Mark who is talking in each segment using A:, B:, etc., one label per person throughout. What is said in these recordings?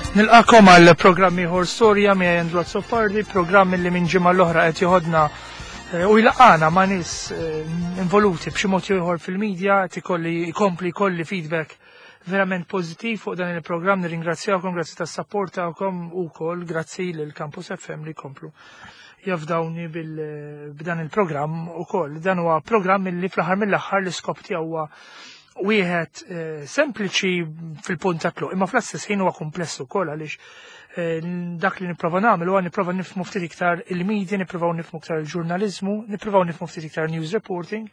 A: Nilqakom għal programm ieħor Storja miegħi Andrew Azzopardi, programm li minn ġimgħa l-oħra qed joħodna eh, u jlaqana ma' nies eh, involuti b'xi mod ieħor fil-medja qed ikolli jkompli jkolli feedback verament pożittiv fuq dan il-programm. Nirringrazzjawkom, grazzi tas-sapport tagħkom ukoll grazzi lil Campus FM li komplu jafdawni b'dan il-programm ukoll. Dan huwa programm li fl-aħħar mill-aħħar l-iskop tiegħu huwa wieħed eh, sempliċi fil-punt ta' tluq, imma fl-istess ħin huwa kumpless ukoll għaliex eh, dak li nipprova nagħmel huwa nipprova nifhmu ftit iktar il-media, nipprovaw nifhmu iktar il-ġurnaliżmu, nipprovaw nifhmu ftit iktar news reporting,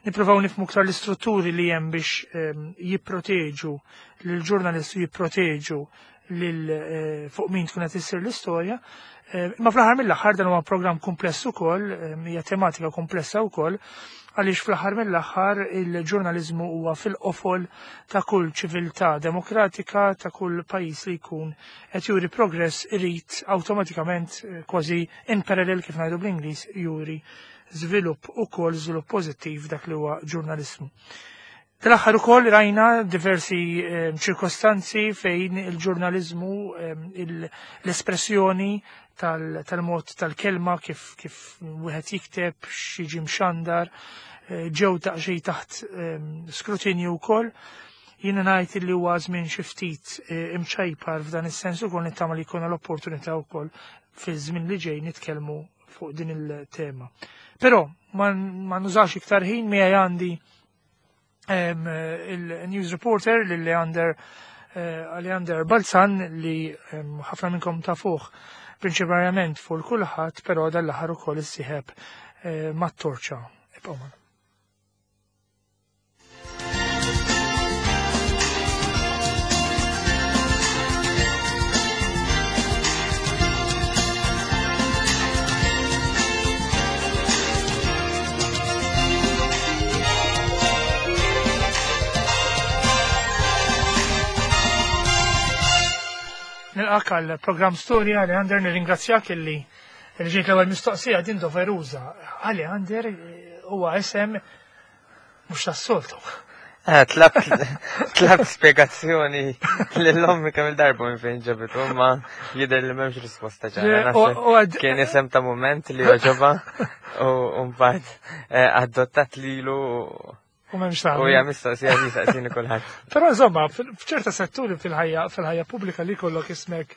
A: nipprovaw nifhmu iktar l-istrutturi li hemm biex eh, jipproteġu lill-ġurnalisti jipproteġu lil fuq min tkun qed issir l-istorja. Imma fl-aħħar mill-aħħar dan huwa programm kumpless ukoll, hija tematika komplessa wkoll, għaliex fl-aħħar mill-aħħar il-ġurnaliżmu huwa fil-qofol ta' kull ċiviltà demokratika, ta' kull pajjiż li jkun qed juri progress irid awtomatikament eh, kważi in parallel kif ngħidu bl-Ingliż juri żvilupp ukoll żvilupp pożittiv dak li huwa ġurnaliżmu. Tal-aħħar ukoll rajna diversi ehm, ċirkostanzi fejn il-ġurnaliżmu ehm, l-espressjoni tal-mod tal-kelma kif kif wieħed jikteb x'jiġi mxandar eh, ġew daqsxejn taħt ehm, skrutinju wkoll. Jiena ngħid li huwa żmien xi ftit eh, imċajpar f'dan is-sens ukoll nittama li jkollna l-opportunità wkoll fi żmien li ġej nitkellmu fuq din il-tema. Però ma nużax iktar ħin miegħi għandi il-news reporter lil Leander eh, Leander Balzan li ħafna minnkom tafuh prinċipalment fuq kulħadd, però dal-aħħar ukoll issieħeb eh, mat-torċa. Ibqgħu magħna. Nilqak għal programm Storja Leander nirringrazzjak illi ġejt l-ewwel mistoqsija din doveruża. Leander huwa isem mhux tas-soltu.
B: Eh, tlabt spiegazzjoni l-ommi kemm il-darba minn fejn ġabitu, ma jidher li m'hemmx risposta ċara. Kien isem ta' moment li oġoba u mbagħad eh, adottat lilu
A: U m'hemmx
B: U hija mistoqsija li saqsini kulħadd.
A: Però insomma, f'ċerta setturi fil-ħajja fil-ħajja pubblika li kollok ismek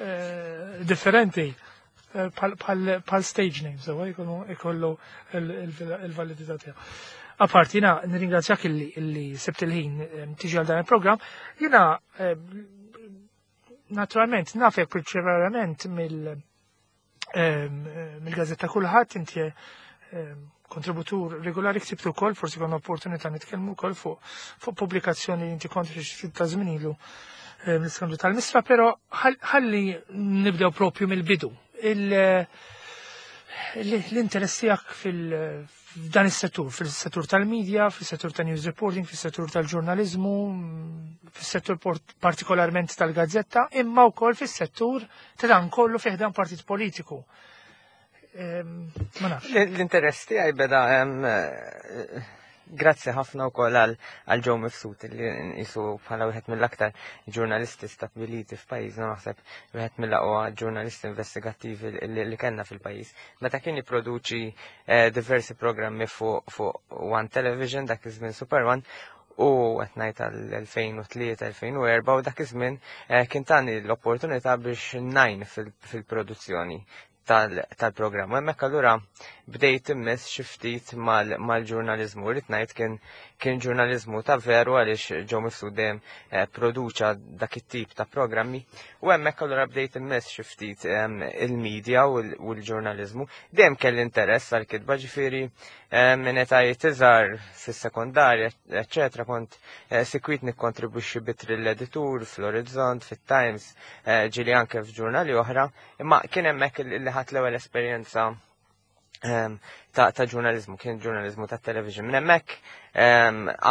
A: eh, differenti bħal stage name, sewa jkollu il-validità tiegħu. Apart, jina nirringrazzjak illi sebt il-ħin tiġi għal dan il-programm, jina naturalment nafek prinċipalment mill-gazzetta kulħadd inti kontributur regolari ktibtu wkoll, forsi konna opportunità nitkellmu wkoll fuq pubblikazzjoni li inti kont ftit ta' żmien ilu l-iskandlu tal-Mistra, però ħalli nibdew propju mill-bidu. L-interess tiegħek fil-dan is-settur, fil-settur tal-medja, fil-settur ta' news reporting, fil-settur tal-ġurnalizmu, fil-settur partikolarment tal-gazzetta, imma wkoll fis-settur ta' dan kollu fih dan partit politiku. Ma nafx.
B: L-interess tiegħi beda grazzi ħafna wkoll għal Joe Mifsud li nqisu bħala wieħed mill-aktar ġurnalisti stabbiliti f'pajjiżna naħseb wieħed mill-aqwa ġurnalisti investigattivi li kellna fil-pajjiż. Meta kien jipproduċi eh, diversi programmi fuq One Television dak iż-żmien Super One u qed ngħid għal-2003-2004 u dak iż-żmien eh, kien tani l-opportunità biex ngħin fil-produzzjoni tal-programm. U hemmhekk allura bdejt immess xi ftit mal-ġurnaliżmu. Rrid ngħid kien kien ġurnaliżmu ta' veru għaliex Joe Mifsud dejjem eh, produċa dak it-tip ta' programmi. U hemmhekk allura bdejt immess xi ftit il-medja u l-ġurnaliżmu. Dejjem kelli interess għall-kitba ġifieri minn etajiet iżgħar fis-sekondarja, eċċetera, kont eh, sikwit nikkontribwixxi bitri l-editur fl-Orizzont, fit-Times, eh, ġieli anke f'ġurnali oħra, imma kien hemmhekk li ħadt l-ewwel esperjenza ta' ta' ġurnalizmu, kien ġurnalizmu ta' television. Minn hemmhekk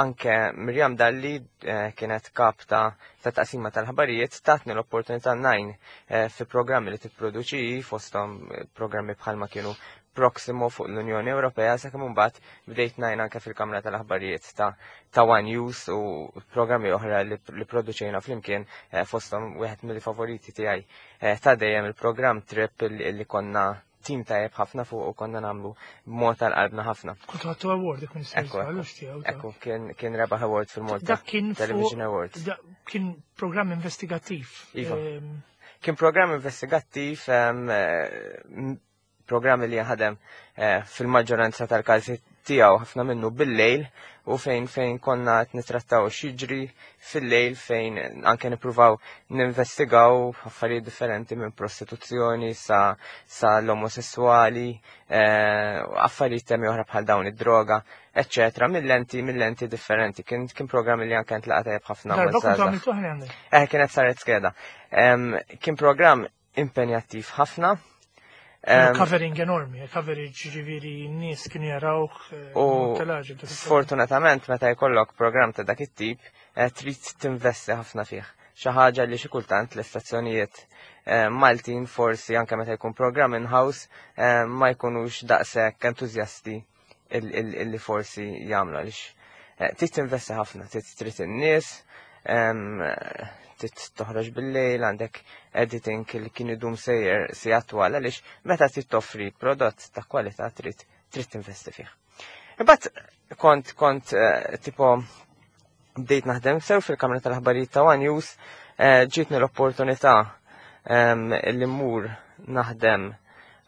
B: anke Mirjam Dalli eh, kienet kap ta' ta' taqsima tal-ħabarijiet tatni l-opportunità ngħin fi programmi li tipproduċi fosthom programmi bħalma kienu Proximo fuq l-Unjoni Ewropea sakemm imbagħad bdejt ngħin anke fil-Kamra tal-Aħbarijiet ta' One News u programmi oħra li produċejna flimkien, fosthom wieħed mill-favoriti tiegħi ta' dejjem, il-programm Trip, li konna tim tajjeb ħafna fuq u konna nagħmlu b'mod tal-qalbna ħafna.
A: Kont ħadtu award dik minn
B: Ekku, ekku, kien rebaħ award fil-Malta
A: Dak kien
B: Television Awards.
A: Kien programm investigattiv.
B: Iva. Kien programm investigattiv, programm li jaħdem fil-maġġoranza tal-każi tiegħu ħafna minnu bil-lejl u fejn konna qed nitrattaw x'jiġri fil-lejl, fejn anke nippruvaw ninvestigaw affarijiet differenti minn prostituzzjoni sa l-omosessuali, affarijiet temi oħra bħal dawn, id-droga, eccetera, mill-lenti differenti. Kien programm li anke ntlaqa tajjeb ħafna.
A: Darba kontu għamiltu ħna?
B: Kienet saret skeda. Kien programm impenjattiv ħafna.
A: Covering enormi, coverage, ġifieri n-nies kienu jarawh.
B: U sfortunatament meta jkollok program ta' dak it-tip, trid tinvesti ħafna fih. Xi ħaġa li xi kultant l-istazzjonijiet Maltin, forsi anke meta jkun program in-house, ma jkunux daqshekk entużjasti illi forsi jagħmlu, għaliex trid tinvesti ħafna, trid in-nies, trid toħroġ bil-lejl, għandek editing li kien idum sejjer si attwal, għaliex meta trid toffri prodott ta' kwalità trid tinvesti fih. Imbagħad kont tipo bdejt naħdem sew fil-Kamra tal-Aħbarijiet ta' One News, ġietni l-opportunità li mmur naħdem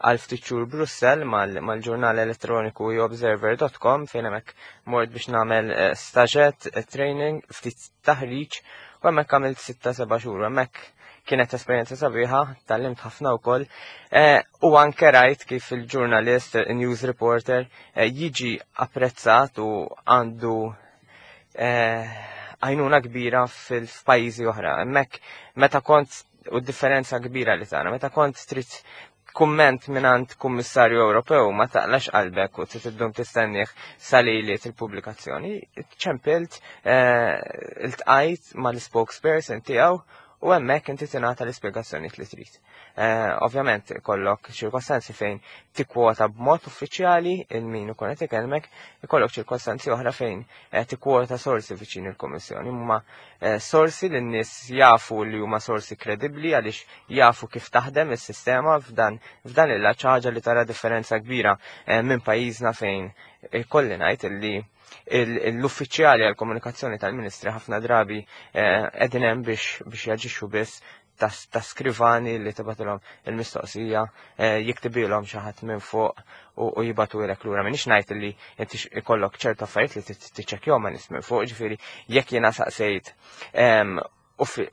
B: għal ftit xhur Brussel mal-ġurnal elettroniku observer.com, fejn hemmhekk mort biex nagħmel staġett, training, ftit taħriġ, u hemmhekk għamilt 6-7 xhur. Hemmhekk kienet esperjenza sabiħa, tgħallimt ħafna wkoll. U anke rajt kif il-ġurnalist, il-news reporter, jiġi apprezzat u għandu għajnuna kbira fil-pajjiżi oħra. Hemmhekk meta kont, u differenza kbira li tara, meta kont trid kumment mingħand kummissarju Ewropew, ma taqlax qalbek u trid iddum tistennieh sal-lejliet il-pubblikazzjoni. Ċempilt, iltqajt mal-spokesperson tiegħu u hemmhekk inti tingħata l-ispjegazzjoni li trid. Ovvjament ikollok ċirkostanzi fejn tikkwota b'mod uffiċjali il-min ikun qed ikellmek, ikollok ċirkostanzi oħra fejn tikkwota sorsi viċin il-Kummissjoni. Huma sorsi li n-nies jafu li huma sorsi kredibbli għaliex jafu kif taħdem is-sistema f'dan il-ħaġa li tara differenza kbira minn pajjiżna, fejn kolli ngħid illi l-uffiċjali għal-komunikazzjoni tal-Ministri ħafna drabi qegħdin hemm biex jaġixxu biss ta' skrivani li tibgħatilhom il-mistoqsija, jiktibilhom xi ħadd minn fuq u jibagħtulek lura. M'iniex ngħid li inti ikollok ċertu affarijiet li tiċċekkjahom ma' nies minn fuq, ġifieri jekk jiena saqsejt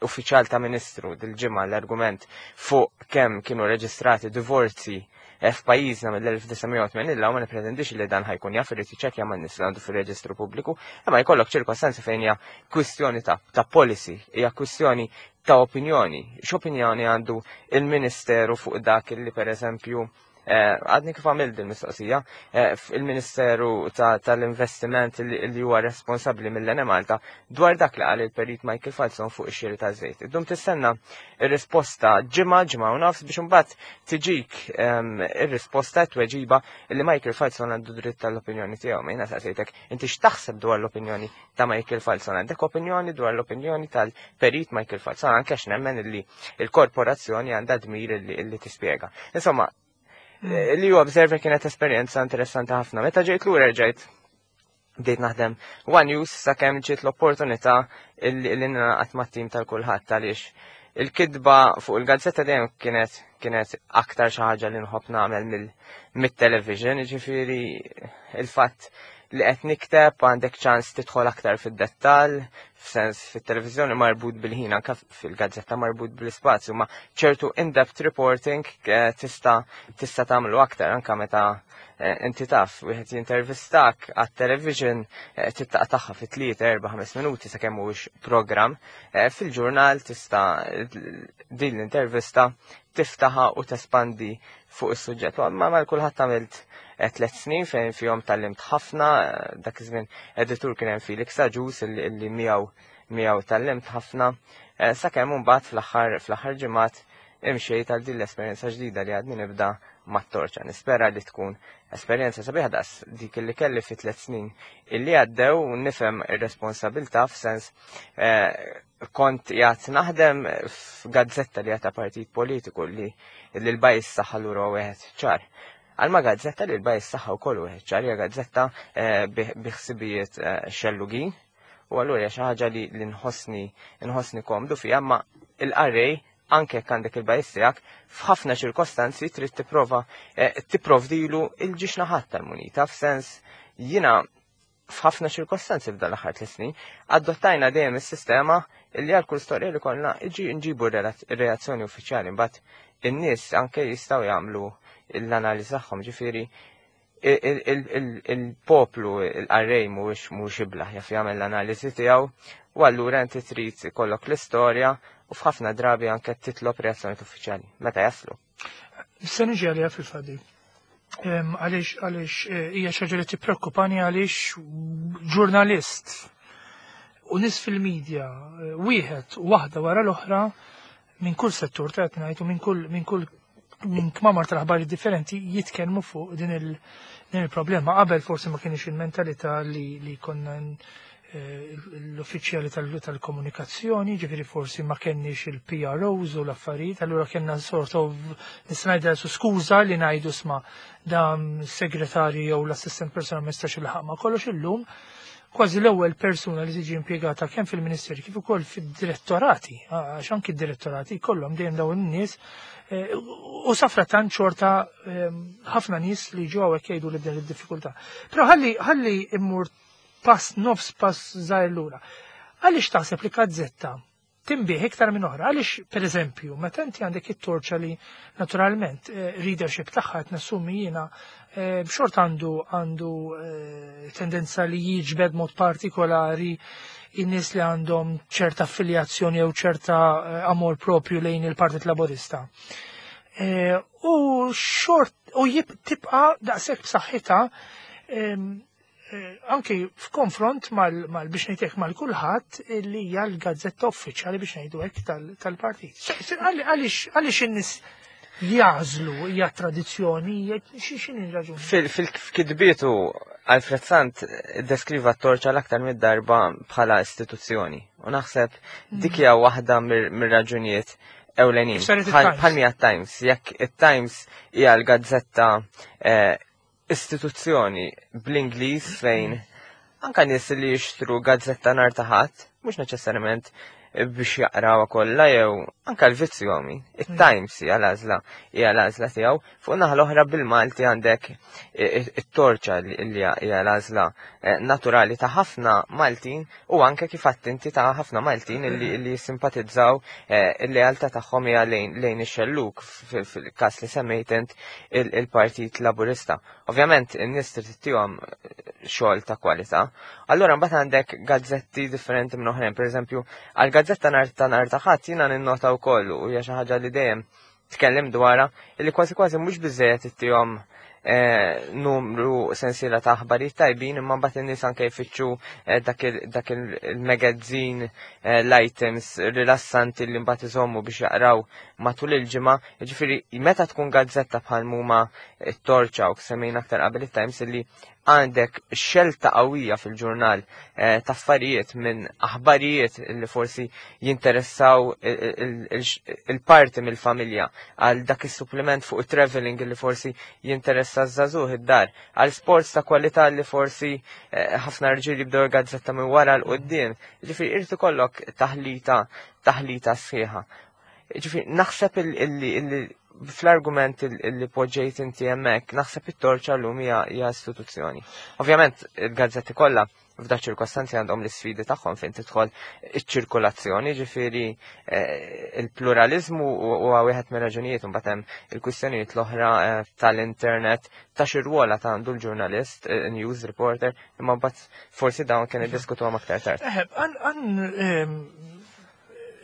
B: uffiċjal ta' ministru dil-ġimgħa l-argument fuq kemm kienu reġistrati divorzi f'pajjiżna mill-1980 illa, ma nipretendix li dan ħa jkun jaf, irid jiċċekkja ma' nies li għandu fir-reġistru pubbliku, imma jkollok ċirkostanzi fejn hija kwistjoni ta' policy, hija kwistjoni ta' opinjoni. X'opinjoni għandu il-Ministeru fuq dak li, per eżempju, għadni kif għamilt din mistoqsija, il-Ministeru tal-Investiment li huwa responsabbli mill-Enemalta dwar dak li qal il-perit Michael Falzon fuq ix-xiri ta' żejt. Iddum tistenna ir-risposta ġimgħa, ġimgħa u nofs biex imbagħad tiġik ir-risposta, tweġiba li Michael Falzon għandu dritt tal-opinjoni tiegħu. Ma jiena saqsejtek inti x'taħseb dwar l-opinjoni ta' Michael Falzon. Għandek opinjoni dwar l-opinjoni tal-perit Michael Falzon, anke għax nemmen li il-korporazzjoni għandha dmir li tispjega. Insomma, li huwa Observer kienet esperjenza interessanti ħafna. Meta ġejt lura ġejt bdejt naħdem One News sakemm ġiet l-opportunità illi ningħaqad mat-tim tal-Kullħadd, għaliex il-kitba fuq il-gazzetta dejjem kienet aktar xi ħaġa li nħobb nagħmel mit-television, ġifieri il-fatt li qed nikteb għandek ċans tidħol aktar fid-dettall, f'sens fit-televiżjoni marbut bil-ħin, anke fil-gazzetta marbut bil-ispazju, ma ċertu in-depth reporting tista' tagħmlu aktar anke meta inti taf wieħed jintervistak għat-television, tittaqtagħha fi 3, 4, 5 minuti sakemm mhuwiex programm. Fil-ġurnal tista' din l-intervista tiftaħa u tespandi fuq is-suġġett. Ma mal-Kullħadd għamilt 3 snin fejn fihom tgħallimt ħafna, dak iż-żmien editur kien hemm Felix Agius illi miegħu tgħallimt ħafna, sakemm imbagħad fl-aħħar ġimgħat imxejt għal din l-esperjenza ġdida li għadni nibda. mat-Torċa. Nispera li tkun esperjenza sabiħa daqs dik li kelli fi 3 snin illi għaddew u nifhem ir-responsabilità f'sens kont jgħat naħdem f'gazzetta li għata partit politiku li l-bias tagħha lura wieħed ċar. Għalma gazzetta li l-bias tagħha wkoll wieħed ċar, hija gazzetta biħsibijiet xellugin u allura hija xi ħaġa li nħossni komdu fiha, ma il-qarrej, anke jekk għandek il-bias tiegħek, f'ħafna ċirkostanzi trid tipprova tipprovdilu il-żewġ naħat tal-munita, f'sens jiena f'ħafna ċirkostanzi f'dan l-aħħar 3 snin adottajna dejjem is-sistema illi għal kull storja li konna nġibu reazzjoni uffiċjali, mbagħad in-nies anke jistgħu jagħmlu l-analiżi tagħhom. Ġifieri il-poplu, il-qarrej mhuwiex iblah, jaf jagħmel l-analiżi tiegħu u allura inti trid ikollok l-istorja u f'ħafna drabi anke titlob reazzjoni uffiċjali meta jaslu.
A: Se niġi għalija fil-fadi. Għaliex hija xi ħaġa li tippreokkupani, għaliex ġurnalist u nies fil-medja wieħed u waħda wara l-oħra minn kull settur ta' ngħid u minn kull minn kmamar tal-aħbarijiet differenti jitkellmu fuq din il-problema. Qabel forsi ma kienx il-mentalità li konna l-uffiċjali tal-komunikazzjoni, ġifieri forsi ma kenniex il-PROs u l-affarijiet, allura kellna sort of nista' ngħidha su skuża li ngħidu, "Isma', dan segretarju jew l-assistent personal ma jistax ilħaq ma' kollox." Illum kważi l-ewwel persuna li tiġi impjegata kemm fil-Ministeri kif ukoll fid-direttorati, għax anki d-direttorati kollhom dejjem dawn in-nies u safrattant xorta ħafna nies li ġew hawnhekk jgħidu li b'din id-diffikultà. Però ħalli immur pass, nofs pass żgħir lura. Għaliex taħseb li gazzetta tinbiegħ iktar minn oħra? Għaliex, per eżempju, meta inti għandek it-Torċa li naturalment readership tagħha qed nassumi jiena b'xort għandu tendenza li jiġbed mod partikolari in-nies li għandhom ċerta affiljazzjoni jew ċerta amor propju lejn il-Partit Laborista. U xort u tibqa' daqshekk b'saħħitha anki f'konfront mal biex ngħidlek mal-kulħadd li hija l-gazzetta uffiċjali, biex ngħidu hekk, tal-partit. Għaliex in-nies jagħżlu? Hija tradizzjoni, x'inhi raġuni?
B: Fil-kitbietu Alfred Sant deskriva t-Torċa l-aktar mid-darba bħala istituzzjoni. U naħseb dik hija waħda mir-raġunijiet ewlenin.
A: Saret it-Times.
B: Bħal Times, jekk it-Times hija l-gazzetta istituzzjoni bl-Ingliż fejn anka nies li jixtru gazzetta nhar ta' Ħadd, mhux neċessarjament biex jaqraw kollha jew anka l-vizzju għami. Il-Times hija l-għażla tiegħu. Fuq naħa l-oħra bil-Malti għandek it-Torċa li hija l-għażla naturali ta' ħafna Maltin u anke kif inti ta' ħafna Maltin li simpatizzaw, il-lealtà tagħhom hija lejn ix-xelluk, fil-każ li semmejt int il-Partit Laburista. Ovvjament in-nies trid ittihom xogħol ta' kwalità. Allura mbagħad għandek gazzetti differenti minn oħrajn, pereżempju għal gazzetta nhar ta' Ħadd jiena ninnota wkoll u hija xi ħaġa li dejjem tkellem dwarha li kważi kważi mhux biżejjed ittihom numru sensiela ta' aħbarijiet tajbin, imma mbagħad in-nies anke jfittxu dak il-magazine, l-items rilassanti li mbagħad iżommu biex jaqraw matul il-ġimgħa. Jiġifieri meta tkun gazzetta bħal muma t-Torċa u semmejna aktar qabel it-Times li għandek xelta qawwija fil-ġurnal ta' affarijiet minn aħbarijiet li forsi jinteressaw il-parti mill-familja għal dak is-supplement fuq il-traveling li forsi jinteressa żagħżugħ id-dar, għal sports ta' kwalità li forsi ħafna rġiel jibdew gazzetta minn wara 'l quddiem. Ġifieri irid ikollok taħlita sħiħa. Ġifieri naħseb illi fl-argument li poġġejt inti hemmhekk, naħseb it-Torċa llum hija istituzzjoni. Ovvjament il-gazzetti kollha f'da ċirkostanzi għandhom l-isfidi tagħhom fejn tidħol iċ-ċirkolazzjoni, ġifieri il-pluralizmu huwa wieħed mir-raġunijiet, imbagħad hemm il-kwistjonijiet l-oħra tal-internet, ta' xi rwola ta' għandu l-ġurnalist, news reporter, imma mbagħad forsi dawn kien iddiskutuhom aktar tard.
A: Għan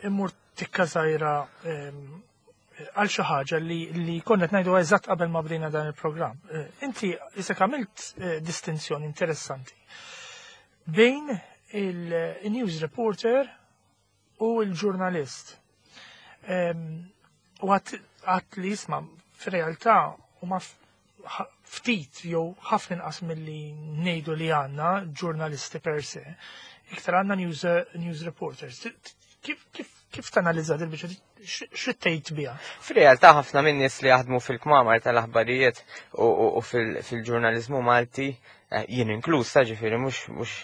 A: immur tikka żgħira għal xi ħaġa li konna qed ngħidu eżatt qabel ma bdejna dan il-programm. Inti isek għamilt distinzjoni interessanti bejn il-news reporter u l-ġurnalist. U għat li, isma', fir-realtà Huma ftit jew ħafna inqas milli ngħidu li għandna ġurnalisti per se, iktar għandna news, news reporters. Kif, kif, kif tanalizza dil-biċċa x'tgħid biha?
B: Fir-realtà ħafna minn nies li jaħdmu fil-kmamar tal-aħbarijiet u fil-ġurnaliżmu Malti, eh, jien inkluż ta' ġifieri mhux mhux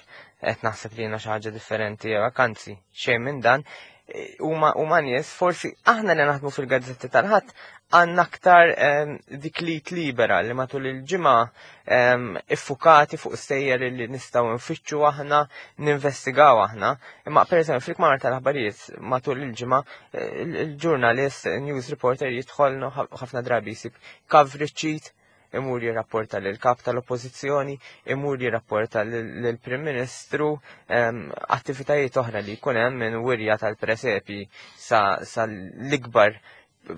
B: qed naħseb li jiena xi ħaġa differenti jew hekk, anzi xejn minn dan, eh, huma huma nies forsi aħna li naħdmu fil-gazzetti tal-ħadd għandna aktar ehm, dik li libera li matul il-ġimgħa ehm, iffukati fuq stejjer li nistgħu nfittxu aħna, ninvestigaw aħna. Imma pereżempju fil-kmamar tal-aħbarijiet matul il-ġimgħa eh, il-ġurnalist, news reporter jidħol ħafna drabi jsib coverage sheet imur jirrapporta lil kap tal-oppożizzjoni, imur jirrapporta lill-Prim Ministru, ehm, attivitajiet oħra li jkun hemm minn wirja tal-presepi sa, sa l-ikbar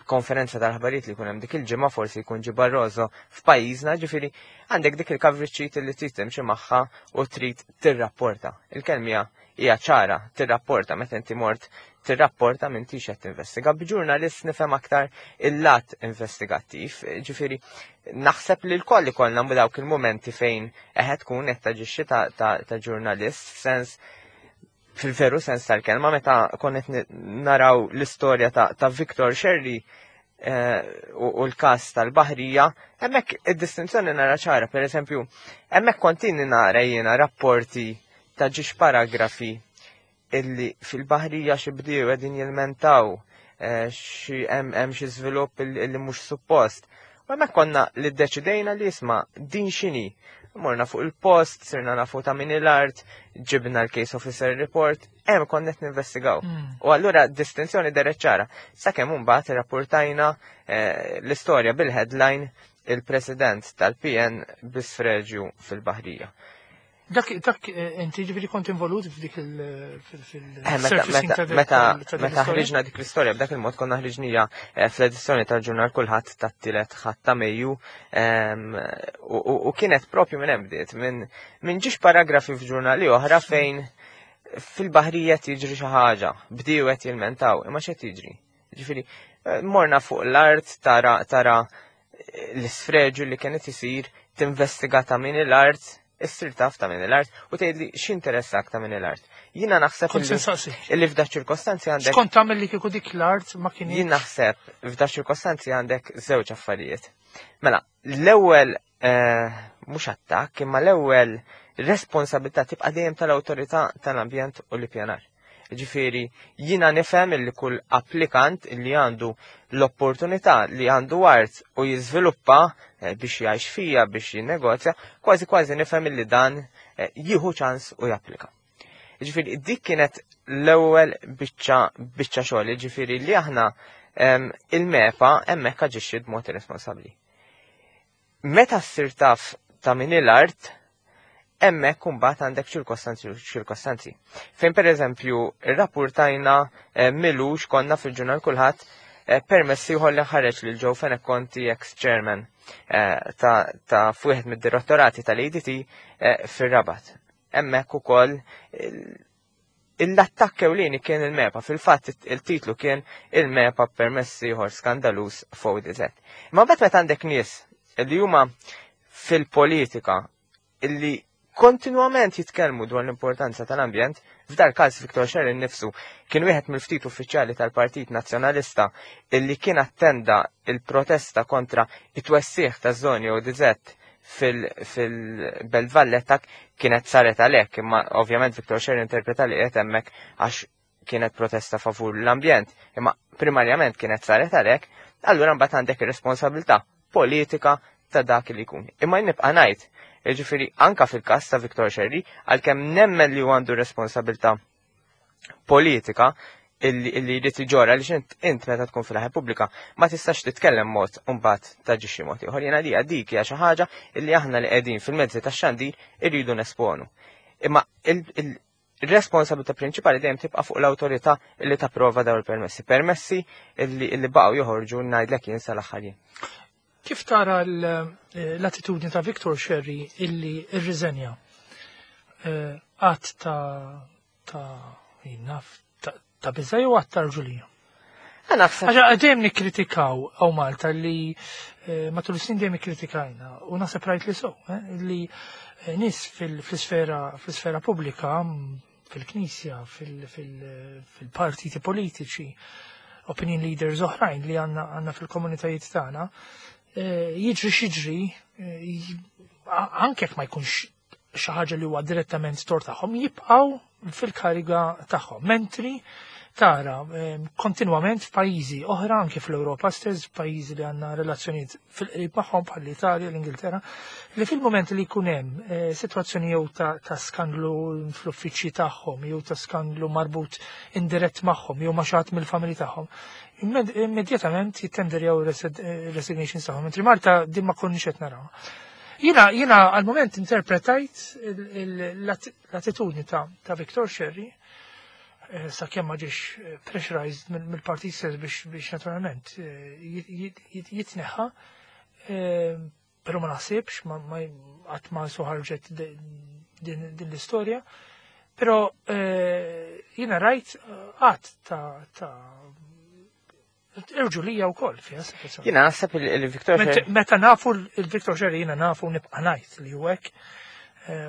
B: konferenza tal-ħbarijiet li jkun hemm dik il-ġimgħa forsi jkun ġi Barroso f'pajjiżna, ġifieri għandek dik il-coverage sheet li trid timxi magħha u trid tirrapporta. Il-kelmija hija ċara, tirrapporta meta inti mort tirrapporta m'intix qed tinvestiga. B'ġurnalist nifhem aktar il-lat investigattiv, ġifieri naħseb li l-koll ikollna dawk il-momenti fejn eħed tkun qed taġixxi ta' ġurnalist f'sens fil-veru sens tal-kelma meta konnet naraw l-istorja ta', ta Victor Sherry eh, u l-kas tal-baħrija, hemmhekk id-distinzjoni nara ċara, per eżempju, hemmhekk kontini nara jiena rapporti ta' ġiex paragrafi illi fil-baħrija xi bdiew qegħdin jilmentaw eh, xi hemm xi żvilupp illi mhux suppost. U hemmhekk konna li ddeċidejna li isma' din x'inhi. Morna fuq il-post, sirna nafu ta' min l-art, ġibna l-case officer report, hemm konna qed ninvestigaw. U allura distinzjoni deret ċara. Sakemm imbagħad irrapportajna eh, l-istorja bil-headline il-President tal-PN bisfreġju fil-Baħrija.
A: Dak, dak eh, inti ġifieri kont involut f'dik il
B: eh, Meta meta ħriġna dik l-istorja b'dak il-mod konna ħriġnija eh, fl-edizzjoni tal-ġurnal kulħadd tat-tielet ħadd ta' Mejju ehm, u kienet propju minn hemm bdiet minn ġiex paragrafi f'ġurnali oħra fejn fil-baħrija tiġri xi ħaġa, bdiew qed jilmentaw, imma x'qed jiġri. Ġifieri, morna fuq l-art tara tara l-isfreġu li kienet isir tinvestiga ta' min l-art issir taf ta' min l-art u tgħidli x'interessak ta' min l-art. Jiena naħseb illi f'da ċirkostanzi għandek.
A: Skont tagħmel li kieku dik l-art ma kien.
B: Jien naħseb f'da ċirkostanzi għandek żewġ affarijiet. Mela, l-ewwel eh, mhux attakk, imma l-ewwel responsabilità tibqa' dejjem tal-awtorità tal-ambjent u l-ippjanar. Ġifieri, jiena nifhem li kull applikant li għandu l-opportunità li għandu art u jiżviluppa eh, biex jgħix fija, biex jinnegozja, kważi kważi nifhem li dan eh, jieħu ċans u japplika. Ġifieri, dik kienet l-ewwel biċċa biċċa xogħol, ġifieri li aħna il-MEPA hemmhekk aġixxiet b'mod irresponsabbli. Meta ssir taf ta' min l-art, hemmhekk imbagħad għandek ċirkostanzi ċirkostanzi. Fejn pereżempju rrappurtajna eh, milux konna fil-ġurnal kulħadd eh, permessi ieħor li ħareġ lil Joe Fenech Conti ex-chairman eh, ta', ta f'wieħed mid-direttorati tal-ADT fir-Rabat. Hemmhekk ukoll l-attakk ewlieni kien il-MEPA, fil-fatt il-titlu kien il-MEPA permessi ieħor skandaluż f'ODZ. Imma mbagħad meta għandek nies li huma fil-politika illi kontinwament jitkellmu dwar l-importanza tal-ambjent, f'dal każ Viktor Sherrin nifsu kien wieħed mill-ftit uffiċjali tal-Partit Nazzjonalista illi kien attenda il-protesta kontra it-twessiħ ta' żoni ODZ fil-Belt Valletta kienet saret għalhekk, imma ovvjament Viktor Sherry interpreta li qiegħed hemmhekk għax kienet protesta favur l-ambjent, imma primarjament kienet saret għalhekk, allura mbagħad għandek ir-responsabilità politika ta' dak li jkun. Imma nibqa' ngħid, jiġifieri anka fil-każ ta' Viktor Sherry, għalkemm nemmen li għandu responsabilità politika illi illi jrid iġorra għaliex int int meta tkun fil-ħajja pubblika ma tistax titkellem mod u mbagħad taġixxi mod ieħor. Jiena li dik hija xi ħaġa illi aħna li qegħdin fil-mezzi tax-xandir irridu nesponu. Imma il-responsabilità prinċipali dejjem tibqa' fuq l-awtorità illi tapprova dawn il-permessi. Permessi illi illi baqgħu joħorġu ngħidlek jien sal-aħħar jiem.
A: Kif tara l-attitudni ta' Victor Sherry illi rriżenja għat ta' ta' naf ta' biża' jew għat ta' rġulija?
B: Naħseb.
A: Għaxa dejjem nikkritikaw għaw Malta li eh, matul is-snin dejjem ikkritikajna u naħseb rajt li so, eh, li eh, nies fil-sfera fl-isfera pubblika, fil-knisja, fil-partiti politiċi, opinion leaders oħrajn li għandna fil-komunitajiet tagħna, jiġri xiġri, anke jekk ma jkunx xi ħaġa li huwa direttament tort tagħhom, jibqgħu fil-kariga tagħhom. Mentri tara kontinwament f'pajjiżi oħra anke fl-Ewropa stess, f'pajjiżi li għandna relazzjonijiet fil-qrib magħhom bħal l-Italja, l-Ingilterra, li fil-moment li jkun hemm sitwazzjoni jew ta' skandlu fl-uffiċċji tagħhom, jew ta' skandlu marbut indirett magħhom, jew ma' xi ħadd mill-familji tagħhom, immedjatament jittenderjaw resignations tagħhom. Mentri Malta din ma konniex qed naraw. Jiena għal-moment interpretajt l-attitudni ta' Victor Scerri sa' kemm ma ġiex pressurized mill-partit stess biex naturalment jitneħħa, però ma naħsibx, ma qatt ma suħarġet din l-istorja, però jiena rajt qatt ta' irġulija wkoll fiha situazzjoni.
B: Jiena naħseb il-Victor Scerri.
A: Meta nafu il-Victor Scerri jiena nafu nibqa' ngħid li hu hekk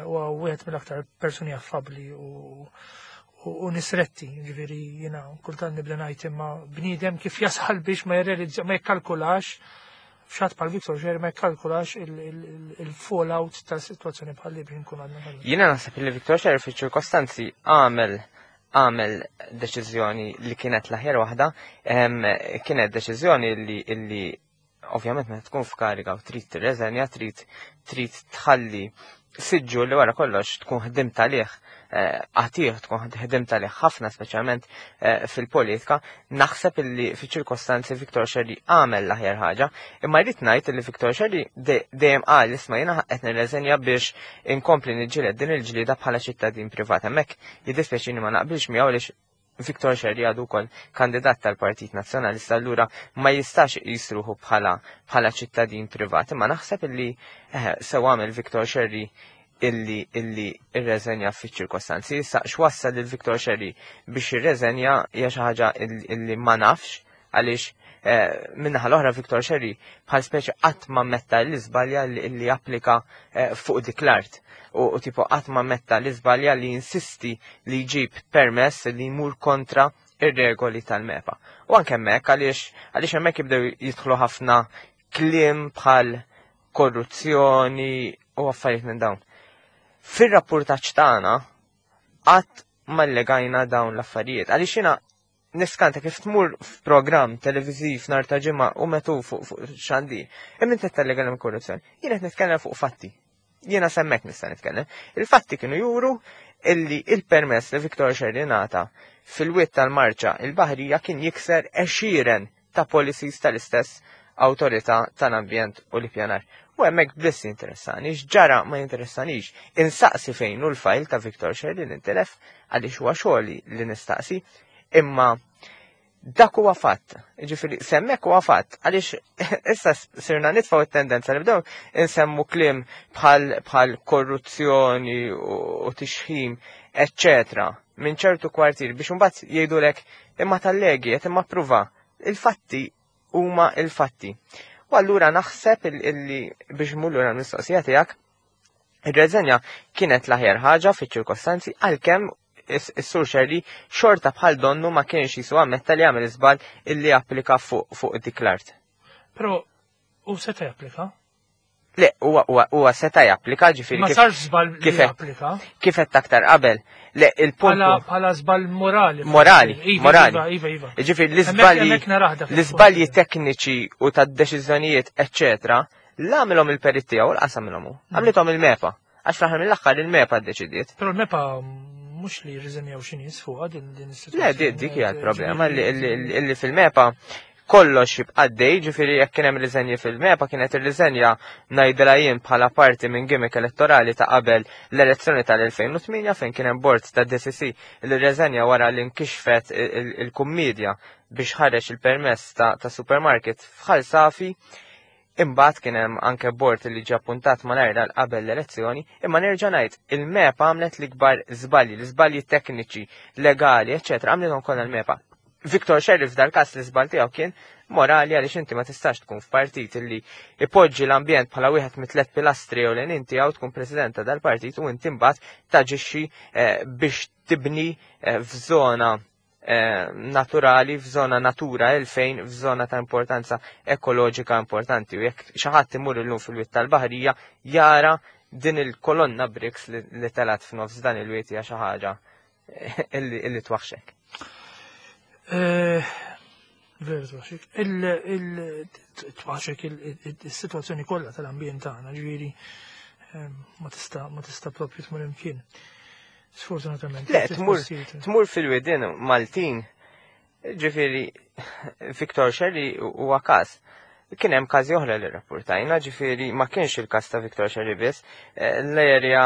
A: huwa wieħed mill-aktar persuni affabbli u nisretti, ġifieri jiena kultant nibda ngħid imma bniedem kif jasal biex ma jirrealizza ma jikkalkulax f'xatt bħal Victor Scerri ma jikkalkulax il-fallout ta' situazzjoni bħal li biex nkun għadna.
B: Jiena naħseb li Victor Scerri fiċ-ċirkostanzi għamel deċiżjoni li kienet l-aħjar waħda, kienet deċiżjoni li ovvjament meta tkun f'kariga u trid tirreżenja, trid tħalli siġġu li wara kollox tkun ħdimt għalih, għatih tkun ħdimt għalih ħafna speċjalment fil-politika, naħseb illi fiċ-ċirkostanzi Victor Scerri għamel l-aħjar ħaġa, imma rrid ngħid illi Victor Scerri dejjem qal isma' jiena qed nirreżenja biex inkompli niġġieled din il-ġlieda bħala ċittadin privat. Hemmhekk jiddispjaċini ma naqbilx miegħu għaliex Victor Scerri għadu wkoll kandidat tal-Partit Nazzjonalista, allura ma jistax jisruħu bħala ċittadin privat. Imma naħseb illi sew għamel Victor Scerri illi irreżenja fiċ-ċirkostanzi. Issa x'wassal lil Victor Scerri biex irreżenja hija xi ħaġa illi ma nafx għaliex minnaħa l-oħra Victor Scerri bħal speċi qatt ma metta l-iżbalja li applika fuq dik l-art. U qatt ma metta l-iżbalja li insisti li jġib permess li jmur kontra ir-regoli tal-MEPA. U anke hemmhekk għaliex hemmhekk jibdew jidħlu ħafna kliem bħal korruzzjoni u affarijiet minn dawn. Fir-rapportaġġ tagħna qatt ma llegajna dawn l-affarijiet. Għaliex jiena niskanta kif tmur f'programm televiżiv nhar ta' ġimgħa u metu fuq xandi, imma inti qed tallega l korruzzjoni. Jien qed nitkellem fuq fatti. Jiena semmek nista' nitkellem. Il-fatti kienu juru illi il-permess li Victor Scerri ngħata fil-wied tal-Marċa il-Baħrija kien jikser għexieren ta' policies tal-istess awtorità tal-ambjent u l-ippjanar. U hemmhekk biss jinteressani, x'ġara ma jinteressanix. Insaqsi fejn hu l-fajl ta' Victor Scerri li ntilef għaliex huwa xogħli li nistaqsi, imma dak huwa fatt. Ġifieri semmek huwa fatt għaliex issa sirna nitfgħu t-tendenza li bdew insemmu kliem bħal korruzzjoni u tixħim, eċċetera, minn ċertu kwartier biex imbagħad jgħidulek imma tal-legi qed imma pruva. Il-fatti huma il-fatti. U allura naħseb illi biex mmur lura l-mistoqsija tiegħek, ir-reżenja kienet l-aħjar ħaġa fiċ-ċirkostanzi għalkemm is-Sur Scerri xorta bħal donnu ma kienx jisu ammetta li għamel iżball illi applika fuq dik l-art.
A: Però u seta' japplika?
B: Le, huwa seta' japplika, ġifieri
A: Ma sarx żball li japplika.
B: Kif qed aktar qabel. Le, il-punt
A: Bħala żball morali.
B: Morali,
A: Iva,
B: morali.
A: Iva, iva, iva.
B: Ġifieri
A: Hemmhekk naraħda fil-punt.
B: l-iżbalji tekniċi u tad-deċiżjonijiet, eċċetera, l-għamilhom il-perit tiegħu, l-qasam minnhom hu. Għamlithom il-MEPA. Għax fl-aħħar mill-aħħar il-MEPA ddeċidiet.
A: Però l-MEPA mhux li jirriżenjaw xi nies fuqha din is-sitwazzjoni.
B: Le, dik hija l-problema li fil-MEPA kollox jibqa' għaddej, ġifieri jekk kien hemm riżenji fil-MEPA kienet ir-riżenja ngħidilha jien bħala parti minn gimmick elettorali ta' qabel l-elezzjoni tal-2008 fejn kien hemm bord ta' DCC li rriżenja wara li nkixfet il-kummedja biex ħareġ il-permess ta' supermarket f'Ħal Safi. Imbagħad kien hemm anke bord li ġie appuntat malajr għal qabel l-elezzjoni, imma nerġa' ngħid il-MEPA għamlet l-ikbar żbalji, l-iżbalji tekniċi, legali, eċċetera, għamlithom kollha l-MEPA. Victor Scerri f'dal-każ l-iżball tiegħu kien morali għaliex inti ma tistax tkun f'partit illi ipoġġi l-ambjent bħala wieħed mit-tliet pilastri ewlenin tiegħu tkun president ta' dal-partit u inti mbagħad taġixxi eh, biex tibni eh, f'żona eh, naturali, f'żona Natura 2000, f'żona ta' importanza ekoloġika importanti. U jekk xi ħadd imur illum fil-wied tal-Baħrija jara din il-kolonna bricks li telat f'nofs dan il-wied hija xi ħaġa illi twaħxek.
A: Eh, veru twaħxek. Il-twaħxek il-situazzjoni kollha tal-ambjent tagħna, ġifieri eh, ma tista' ma tista' propju tmur imkien. Sfortunatament.
B: Le, tmur fil-widin Maltin, ġifieri Victor Sherry huwa każ. Kien hemm każi oħra li rrapportajna, ġifieri ma kienx il-każ ta' Victor Sherry biss, eh, l-erja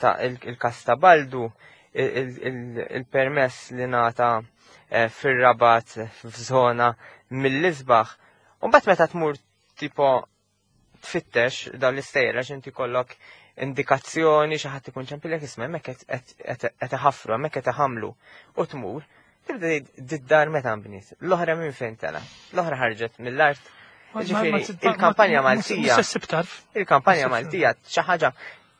B: ta' il-każ ta' Baldu, il-permess li nata eh, fir-Rabat f'żona mill-isbaħ. U mbagħad meta tmur tipo tfittex dawn l-istejjer għax inti kollok indikazzjoni xi ħadd ikun ċempilek isma' hemmhekk qed iħaffru, hemmhekk qed iħamlu u tmur, tibda tgħid did-dar meta nbniet, l-oħra minn fejn tela, l-oħra ħarġet mill-art. Ġifieri il-kampanja Maltija. Il-kampanja Maltija xi ħaġa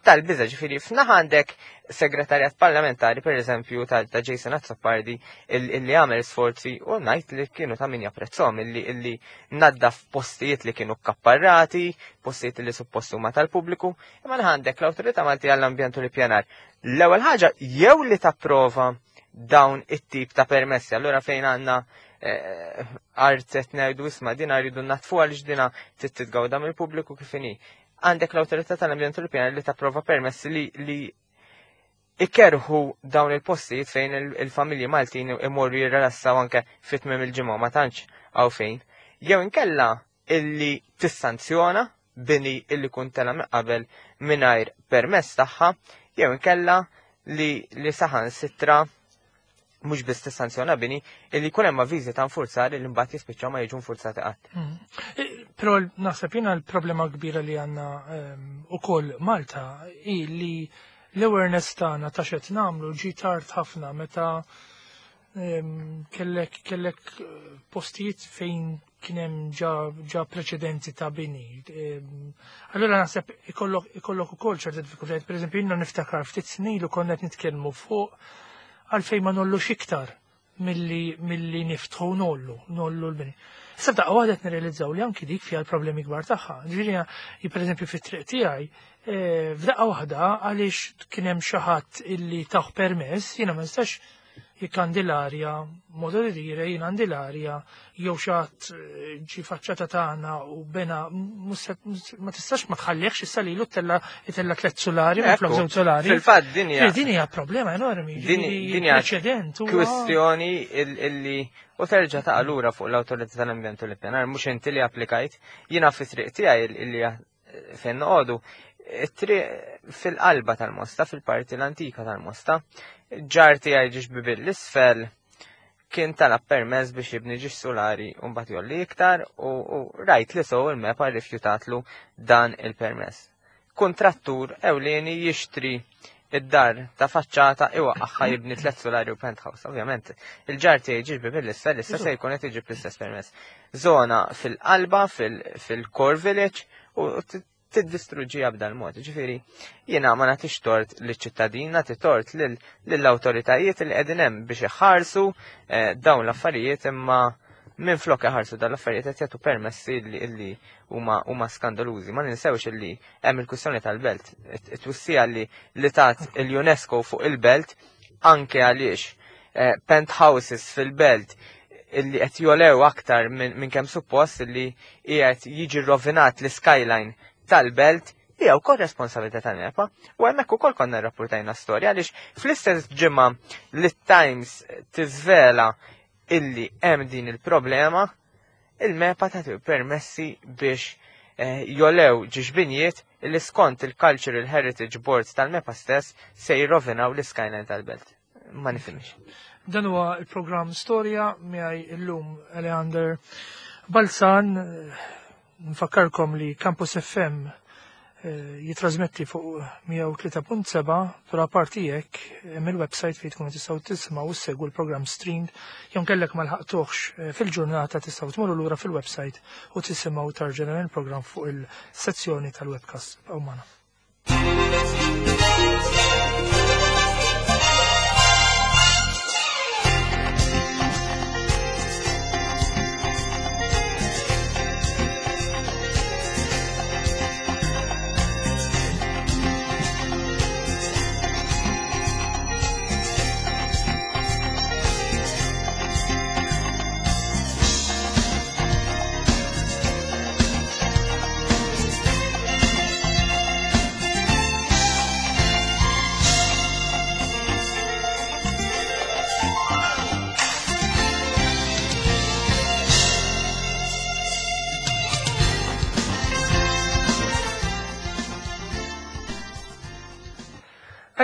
B: tal-biża' ġifieri f'naħa għandek segretarjat parlamentari pereżempju ta' Jason Azzopardi illi għamel sforzi u ngħid li kienu ta' min japprezzhom illi illi naddaf postijiet li kienu kapparrati, postijiet li suppost huma tal-pubbliku, imma naħa għandek l-Awtorità Maltija għall-Ambjent u l-Ippjanar. L-ewwel ħaġa jew li tapprova dawn it-tip ta' permessi, allura fejn għandna eh, art qed ngħidu isma' dina rridu natfu għaliex dina trid titgawda mill-pubbliku kif inhi. Għandek l-Awtorità tal-Ambjent u l-Ippjanar li tapprova permessi li li ikerħu dawn il-postijiet fejn il-familji Maltin imorru jirrelassaw anke fit-tmiem il-ġimgħa ma tantx hawn fejn. Jew inkella illi tissanzjona bini illi kun tela minn qabel mingħajr permess tagħha, jew inkella li li saħansitra mhux biss tissanzjona bini, illi jkun hemm avviżi ta' nfurzar li mbagħad jispiċċaw ma jiġu nfurzati qatt. Mm.
A: E, però naħseb jiena l-problema kbira li għandna ehm, ukoll Malta hi li l-awareness tagħna ta' xed nagħmlu ġi tard ħafna meta ehm, kellek kellek eh, postijiet fejn kien hemm ġa, ġa preċedenti ta' bini. Ehm, allura naħseb ikollok ikollok ukoll ċerta diffikultajiet. Pereżempju jiena niftakar ftit snin u konna qed nitkellmu fuq għalfejn ma nollux iktar milli milli niftħu nollu, nollu l-bini. Issa f'daqqa waħda qed nirrealizzaw li anki dik fiha l-problemi kbar tagħha. Ġifieri pereżempju fit-triq tiegħi eh, f'daqqa waħda għaliex kien hemm xi ħadd illi taħ permess, jiena ma nistax jekk għandi l-arja, modo di dire, jien għandi l-arja, jew xatt eh, ġi faċċata tagħna u bena ma tistax ma tħallihx issa lilu tella itella tliet solari ma flok żewġ solari.
B: Fil-fatt din hija
A: din hija problema enormi.
B: Din hija preċedent kwistjoni illi u terġa' taqa' lura fuq l-awtorità tal-ambjent u l-ippjanar mhux inti li applikajt, jiena fi triq tiegħi illi fejn noqogħdu, it-triq fil-qalba tal-Mosta, fil-parti l-antika tal-Mosta, ġar tiegħi ġiex bibil l-isfel kien talab permess biex jibni ġiex solari u mbagħad jolli iktar u, u rajt li sow il-MEPA rrifjutatlu dan il-permess. Kuntrattur ewlieni jixtri id-dar ta' faċċata iwaqqaħħa jibni tliet solari u penthouse. Ovvjament, il-ġar tiegħi ġiex bibil l-isfel issa se jkun qed iġib l-istess permess. Zona fil-qalba, fil-core village u tiddistruġġiha b'dan mod. Ġifieri, jiena ma nagħtix tort liċ-ċittadin, nagħti tort lill-awtoritajiet li qegħdin hemm biex iħarsu eh, dawn l-affarijiet imma minn flok iħarsu dawn l-affarijiet qed jagħtu permessi li huma huma skandalużi. Ma ninsewx illi hemm il-kwistjoni tal-belt. It-twissija li li tat il-UNESCO fuq il-belt anke għaliex eh, penthouses fil-belt illi qed jolew aktar minn kemm suppost illi qiegħed jiġi rovinat l-skyline tal-belt hija wkoll responsabilità tal-MEPA u hemmhekk ukoll konna rrapportajna storja għaliex fl-istess ġimgħa li Times tiżvela illi hemm din il-problema il-MEPA tagħti permessi biex eh, jolew ġiex binjiet illi skont il-Cultural Heritage Board tal-MEPA stess se jirrovinaw l-skyline tal-belt. Ma nifhimx.
A: Dan huwa il-programm Storja miegħi illum Eleander Balzan. Nfakkarkom li Campus FM Jitrasmetti fuq 103.7, però apparti hekk hemm il-website fejn tkunu tistgħu tisimgħu u ssegwu l-programm streamed jew kellek ma lħaqtuhx fil-ġurnata tistgħu tmorru lura fil-website u tisimgħu tarġa' dan il-programm fuq il-sezzjoni tal-webcast. Ibqgħu magħna.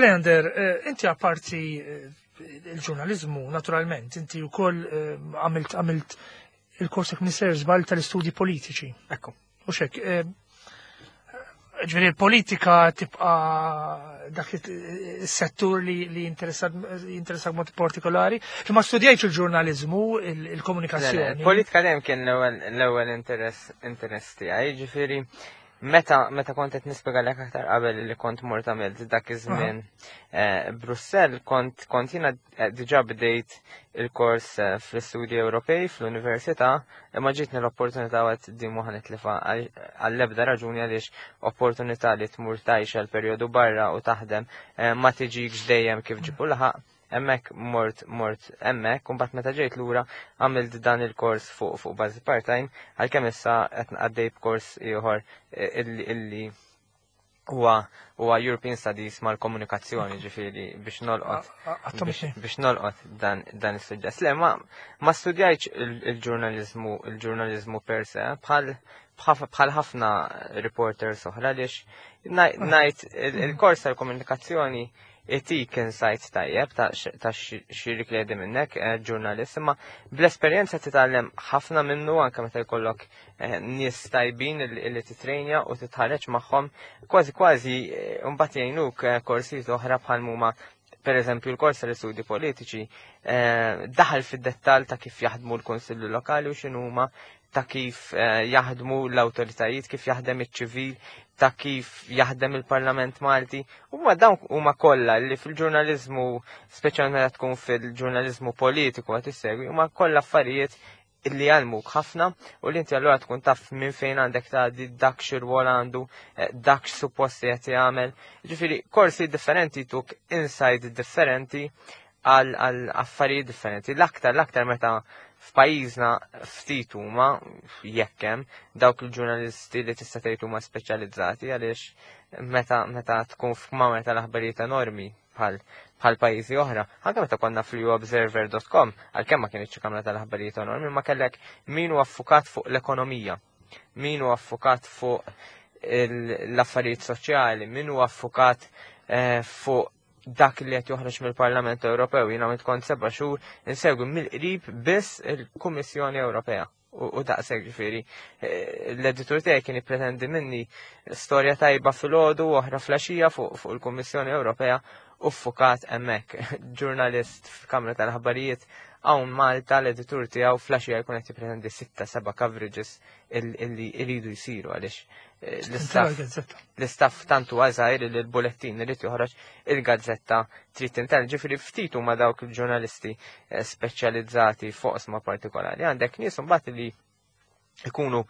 A: Leander, inti apparti il-ġurnalizmu, naturalment, inti wkoll għamilt il-kors jekk mister żball tal-istudji politiċi.
B: Ekku.
A: U xek, ġifieri il-politika tibqa dak is-settur li jinteressak mod partikolari. Ma studjajtx il-ġurnalizmu, il-komunikazzjoni.
B: Politika dejjem kien l-ewwel interess tiegħi, ġifieri meta kont qed nispjegalek aktar qabel li kont mort għamilt dak iż-żmien Brussell, kont jiena diġà bdejt il-kors fl-istudji Ewropej fl-università, imma ġietni l-opportunità għad din mhu ħa nitlifa għall-ebda raġuni għaliex opportunità li tmur tgħix għal perjodu barra u taħdem ma tiġikx dejjem kif ġibu laħaq. Hemmhekk mort hemmhekk, u mbagħad meta ġejt lura għamilt dan il-kors fuq bażi part-time, għalkemm issa qed għaddej b'kors ieħor illi huwa European Studies mal-komunikazzjoni, ġifieri biex nolqot biex nolqot dan is-suġġett. Le, ma studjajtx il-ġurnaliżmu per se, bħal ħafna reporters oħra, għaliex ngħid il-kors tal-komunikazzjoni itik insight tajjeb ta' xi rikledi minnek ġurnalist, imma bl-esperjenza titgħallem ħafna minnu anke meta jkollok nies tajbin li titrejnja u titħareġ magħhom, kważi kważi mbagħad jgħinuk korsijiet oħra bħal huma per eżempju l-kors tal-istudji politiċi daħal fid-dettall ta' kif jaħdmu l-Kunsilli Lokali u x'inhuma, ta' kif jaħdmu l-awtoritajiet, kif jaħdem iċ-ċivil, ta' kif jaħdem il-Parlament Malti. Huma dawn huma kollha li fil-ġurnaliżmu, speċjalment meta tkun fil-ġurnaliżmu politiku qed issegwi, huma kollha affarijiet illi jgħallmuk ħafna u li inti allura tkun taf minn fejn għandek tgħaddi, dak xi rwol għandu, dak x'suppost qed jagħmel. Ġifieri korsi differenti tuk insight differenti għal affarijiet differenti. L-aktar meta f'pajjiżna ftit huma jekk hemm dawk il-ġurnalisti li tista' tgħid huma speċjalizzati, għaliex meta tkun f'kmamar tal-aħbarijiet enormi bħal pajjiżi oħra, anke meta konna fl-observer dot com, għalkemm ma kienx kamra tal-aħbarijiet enormi, ma kellek min huwa affukat fuq l-ekonomija, min huwa affukat fuq l-affarijiet soċjali, min huwa affukat fuq dak li qed joħroġ mill-Parlament Ewropew. Jiena għamilt kont 7 xhur insegwi mill-qrib biss il-Kummissjoni Ewropea. U daqshekk ġifieri l-editur tiegħi kien jippretendi minni storja tajba filgħodu u oħra flaxija fuq il-Kummissjoni Ewropea u ffukat hemmhekk. Ġurnalist f'Kamra tal-Aħbarijiet hawn Malta l-editur tiegħu flaxija jkun qed jippretendi 6-7 coverages illi jridu jsiru għaliex l-istaff tantu għażajr li l-bulettin irid joħroġ, il-gazzetta trid tintel. Ġifieri ftit huma dawk il-ġurnalisti speċjalizzati fuq oqsma partikolari. Għandek nies imbagħad li ikunu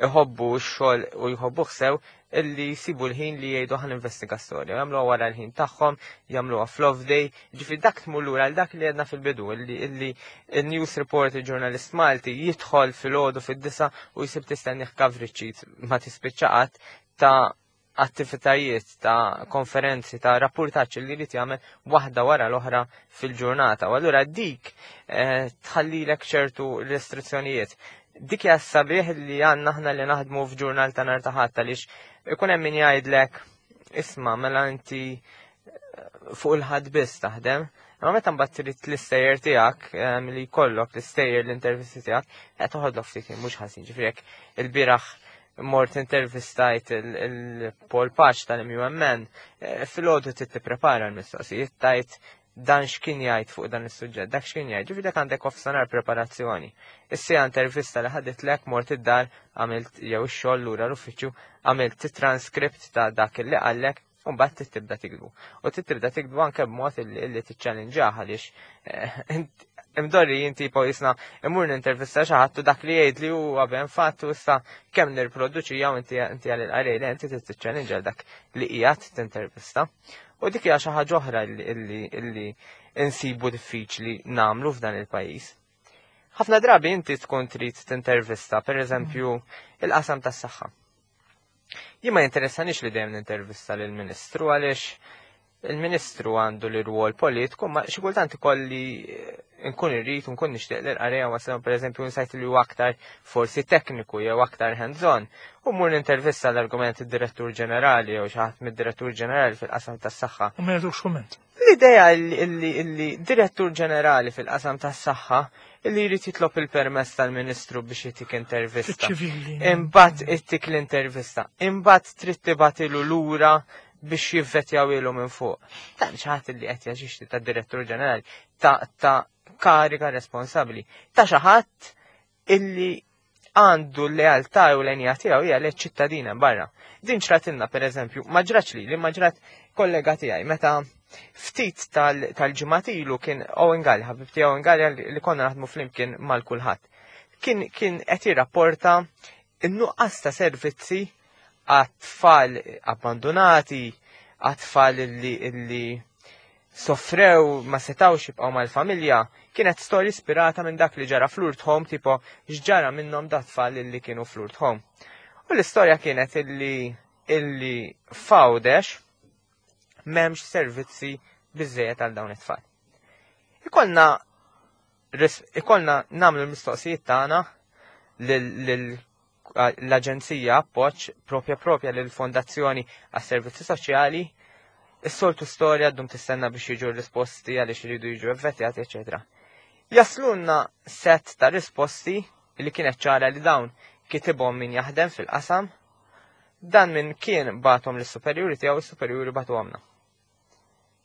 B: iħobbu x-xogħol u jħobbuh sew illi jsibu l-ħin li jgħidu ħan investiga storja, jagħmluha wara l-ħin tagħhom, jagħmluha fl-off day, ġifieri dak tmur lura għal dak li għedna fil-bidu, illi il-news report il-ġurnalist Malti jidħol fil-għodu fid-disa u jsib tistennih coverage sheet ma tispiċċa qatt ta' attivitajiet, ta' konferenzi, ta' rapportaġġ li jrid jagħmel waħda wara l-oħra fil-ġurnata. U allura dik tħallilek ċertu restrizzjonijiet. Dik hija sabiħ li għandna aħna li naħdmu f'ġurnal ta' nhar ta' Ħadd, għaliex ikun hemm min jgħidlek isma' mela inti fuq il-ħadd biss taħdem. Imma meta mbagħad trid l-istejjer tiegħek li jkollok l-istejjer l-intervisti tiegħek, qed toħodlok ftit ħin mhux ħażin. Ġifieri jekk il-bieraħ mort intervistajt il-Paul Paċ tal-MUMN, filgħodu trid tipprepara l-mistoqsijiet tajt dan x'kien jgħid fuq dan is-suġġett, dak x'kien jgħid, ġifieri dak għandek offsanar preparazzjoni. Issa intervista li ħadet lek mort id-dar għamilt jew ix-xogħol lura l-uffiċċju għamilt transkript ta' dak li qallek u mbagħad trid tibda tikdbu. U trid tibda tikdbu anke b'mod illi tiċċallinġah għaliex imdorri jien tipo jisna imur nintervista xi ħadd u dak li jgħid li huwa ben fatt u issa kemm nirproduċi jew inti inti għal il-qarej li inti trid tiċċallinġa dak li qiegħed tintervista. U dik hija xi ħaġa oħra illi insibu diffiċli nagħmlu f'dan il-pajjiż. Ħafna drabi inti tkun trid tintervista, per eżempju, il-qasam tas-saħħa. Jien ma jinteressanix li dejjem nintervista lill-Ministru għaliex il-Ministru għandu l-rwol politiku, ma xi kultant ikolli nkun irrid u nkun nixtieq li l-qarejja waslu pereżempju insajt li huwa aktar forsi tekniku jew aktar hands-on. U mmur nintervista l-argument id-Direttur Ġenerali jew xi ħadd mid-Direttur Ġenerali fil-qasam tas-saħħa.
A: U ma jagħtux kumment.
B: L-idea li Direttur Ġenerali fil-qasam tas-saħħa illi jrid jitlob il-permess tal-Ministru biex jitik intervista.
A: Ċivili.
B: Imbagħad ittik l-intervista. Imbagħad trid tibgħatilu lura biex jivvetjaw ilu minn fuq. Dan xi ħadd li qed jaġixxi ta' Direttur Ġenerali ta' kariga responsabbli. Ta' xi ħadd illi għandu l-lealtà u l-enja tiegħu hija li ċittadina barra. Din ġratilna pereżempju, ma ġratx li, ma ġrat kollega tiegħi meta ftit tal-ġimgħat ilu kien Owen Galli, ħabib tiegħu Owen Galli li konna naħdmu flimkien mal-kulħadd. Kien qed jirrapporta n-nuqqas ta' servizzi għat-tfal abbandonati, għat-tfal illi soffrew ma setawx jibqgħu mal-familja, kienet storja ispirata minn dak li ġara fl-Lourdes Home, tipo x'ġara minnhom dat tfal illi kienu fl-Lourdes Home. U l-istorja kienet illi f'Għawdex m'hemmx servizzi biżejjed għal dawn it-tfal. Ikollna nagħmlu l-mistoqsijiet tagħna l-Aġenzija Appoġġ propja lill-Fondazzjoni għas-Servizzi Soċjali. Is-soltu storja ddum tistenna biex jiġu risposti għaliex iridu jiġu evvetjati, eċetera. Jaslunna set ta' risposti li kienet ċara li dawn kitibhom min jaħdem fil-qasam, dan min kien batom lis-superjuri tiegħu, is-superjuri batu għamna.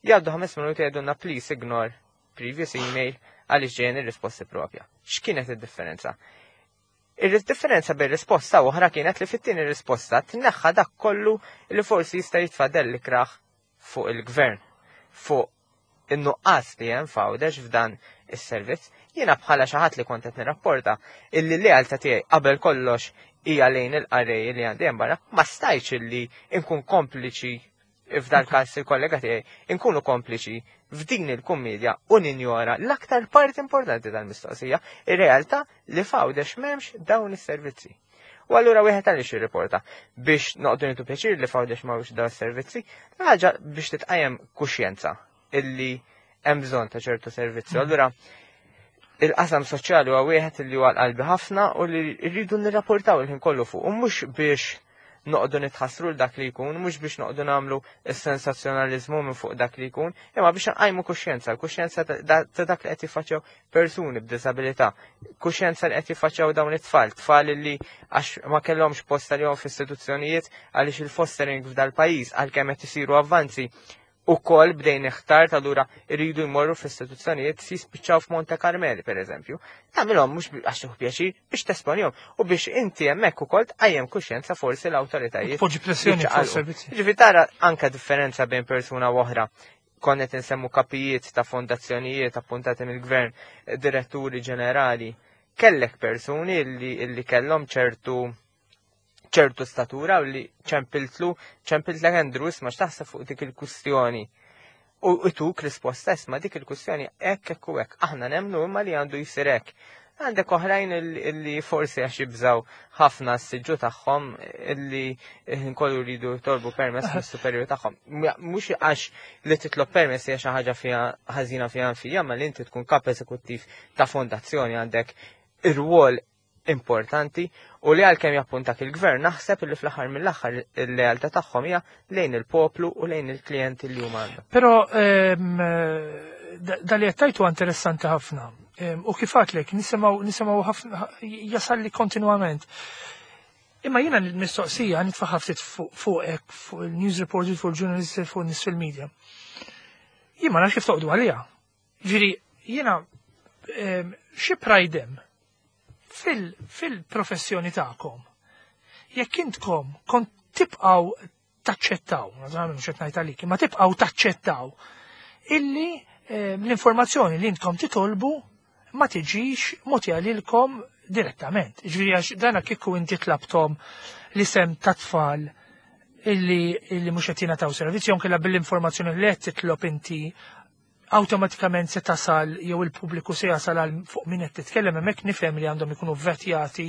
B: Jgħaddu 5 minuti jgħidulna please ignore previous email għaliex ġejjin ir-risposti propja. X'kienet id-differenza? Ir-differenza bejn risposta oħra kienet li fit-tieni risposta tneħħa dak kollu li forsi jista' jitfadel li kraħ fuq il-gvern, fuq in-nuqqas li hemm f'Għawdex f'dan is-servizz. Jiena bħala xi ħadd li kont qed nirrapporta illi l-lealtà tiegħi qabel kollox hija lejn il-qarrej li għandi hemm barra, ma stajtx illi nkun kompliċi f'dal każ il-kollega tiegħi nkunu kompliċi f'din il-kummedja u ninjora l-aktar parti importanti tal-mistoqsija, ir-realtà li f'Għawdex m'hemmx dawn is-servizzi. U allura wieħed għaliex jirriporta biex noqogħdu nieħdu pjaċir li f'Għawdex m'hawnx dawn is-servizzi, ħaġa biex titqajjem kuxjenza illi hemm bżonn ta' ċertu servizzi. Allura il-qasam soċjali huwa wieħed li huwa qalbi ħafna u li rridu nirrapportaw il-ħin kollu fuq, u mhux biex noqogħdu nitħassru l dak li jkun, mhux biex noqogħdu nagħmlu s-sensazzjonaliżmu minn fuq dak li jkun, imma biex nqajmu kuxjenza, kuxjenza ta' dak li qed jiffaċċjaw persuni b'diżabilità, kuxjenza li qed jiffaċċjaw dawn it-tfal, tfal li għax ma kellhomx post għalihom f'istituzzjonijiet għaliex il-fostering f'dal-pajjiż għalkemm qed isiru avvanzi u kol bdejn iħtar ta' lura irridu jmorru f'istituzzjonijiet si spiċċaw f'Monte Carmeli, per eżempju. Tagħmilhom mhux għax tieħu pjaċir biex tesponihom u biex inti hemmhekk ukoll tqajjem kuxjenza forsi l-awtoritajiet.
A: Poġġi pressjoni fuq
B: jiċċaqalqu.
A: servizzi.
B: Ġifieri tara anke differenza bejn persuna u oħra. Konna qed insemmu kapijiet ta' fondazzjonijiet appuntati mill-gvern, diretturi ġenerali. Kellek persuni illi kellhom ċertu statura u li ċempiltlek Andrew, isma' x'taħseb fuq dik il-kwistjoni. U ituk risposta isma' dik il-kwistjoni hekk hekk u hekk. Aħna nemmnu imma li għandu jsir hekk. Għandek oħrajn illi forsi għax jibżaw ħafna s-siġġu tagħhom illi nkollu jridu jitolbu permess mis-superjur tagħhom. Mhux għax li titlob permess hija xi ħaġa fiha ħażina fiha nfija, ma li inti tkun kap eżekuttiv ta' fondazzjoni għandek ir-rwol importanti u li għalkemm jappuntak il-gvern naħseb li fl-aħħar mill-aħħar il-lealtà tagħhom hija lejn il-poplu u lejn il-klijenti li huma għandhom.
A: Però da li qed tgħid huwa interessanti ħafna. U kif għedtlek, nisimgħu ħafna, jasalli kontinwament. Imma jiena l-mistoqsija nitfaħħa ftit fuqek, fuq il-news reporters, fuq il-ġurnalisti, fuq nies fil-media. Jien ma nafx kif toqdu għaliha. Ġifieri jiena xi pride hemm fil-professjoni tagħkom. Jekk intkom kont tibqgħu taċċettaw, naturalment mhux qed ngħid għalik, imma tibqgħu taċċettaw illi l-informazzjoni li intkom titolbu ma tiġix mogħtija lilkom direttament. Ġifieri għax dana kieku inti tlabtom l-isem ta' tfal illi mhux qed jingħataw servizzi, jew inkella bil-informazzjoni li qed titlob inti awtomatikament se tasal jew il-pubbliku se jasal għal fuq min qed titkellem hemmhekk nifhem li għandhom ikunu vetjati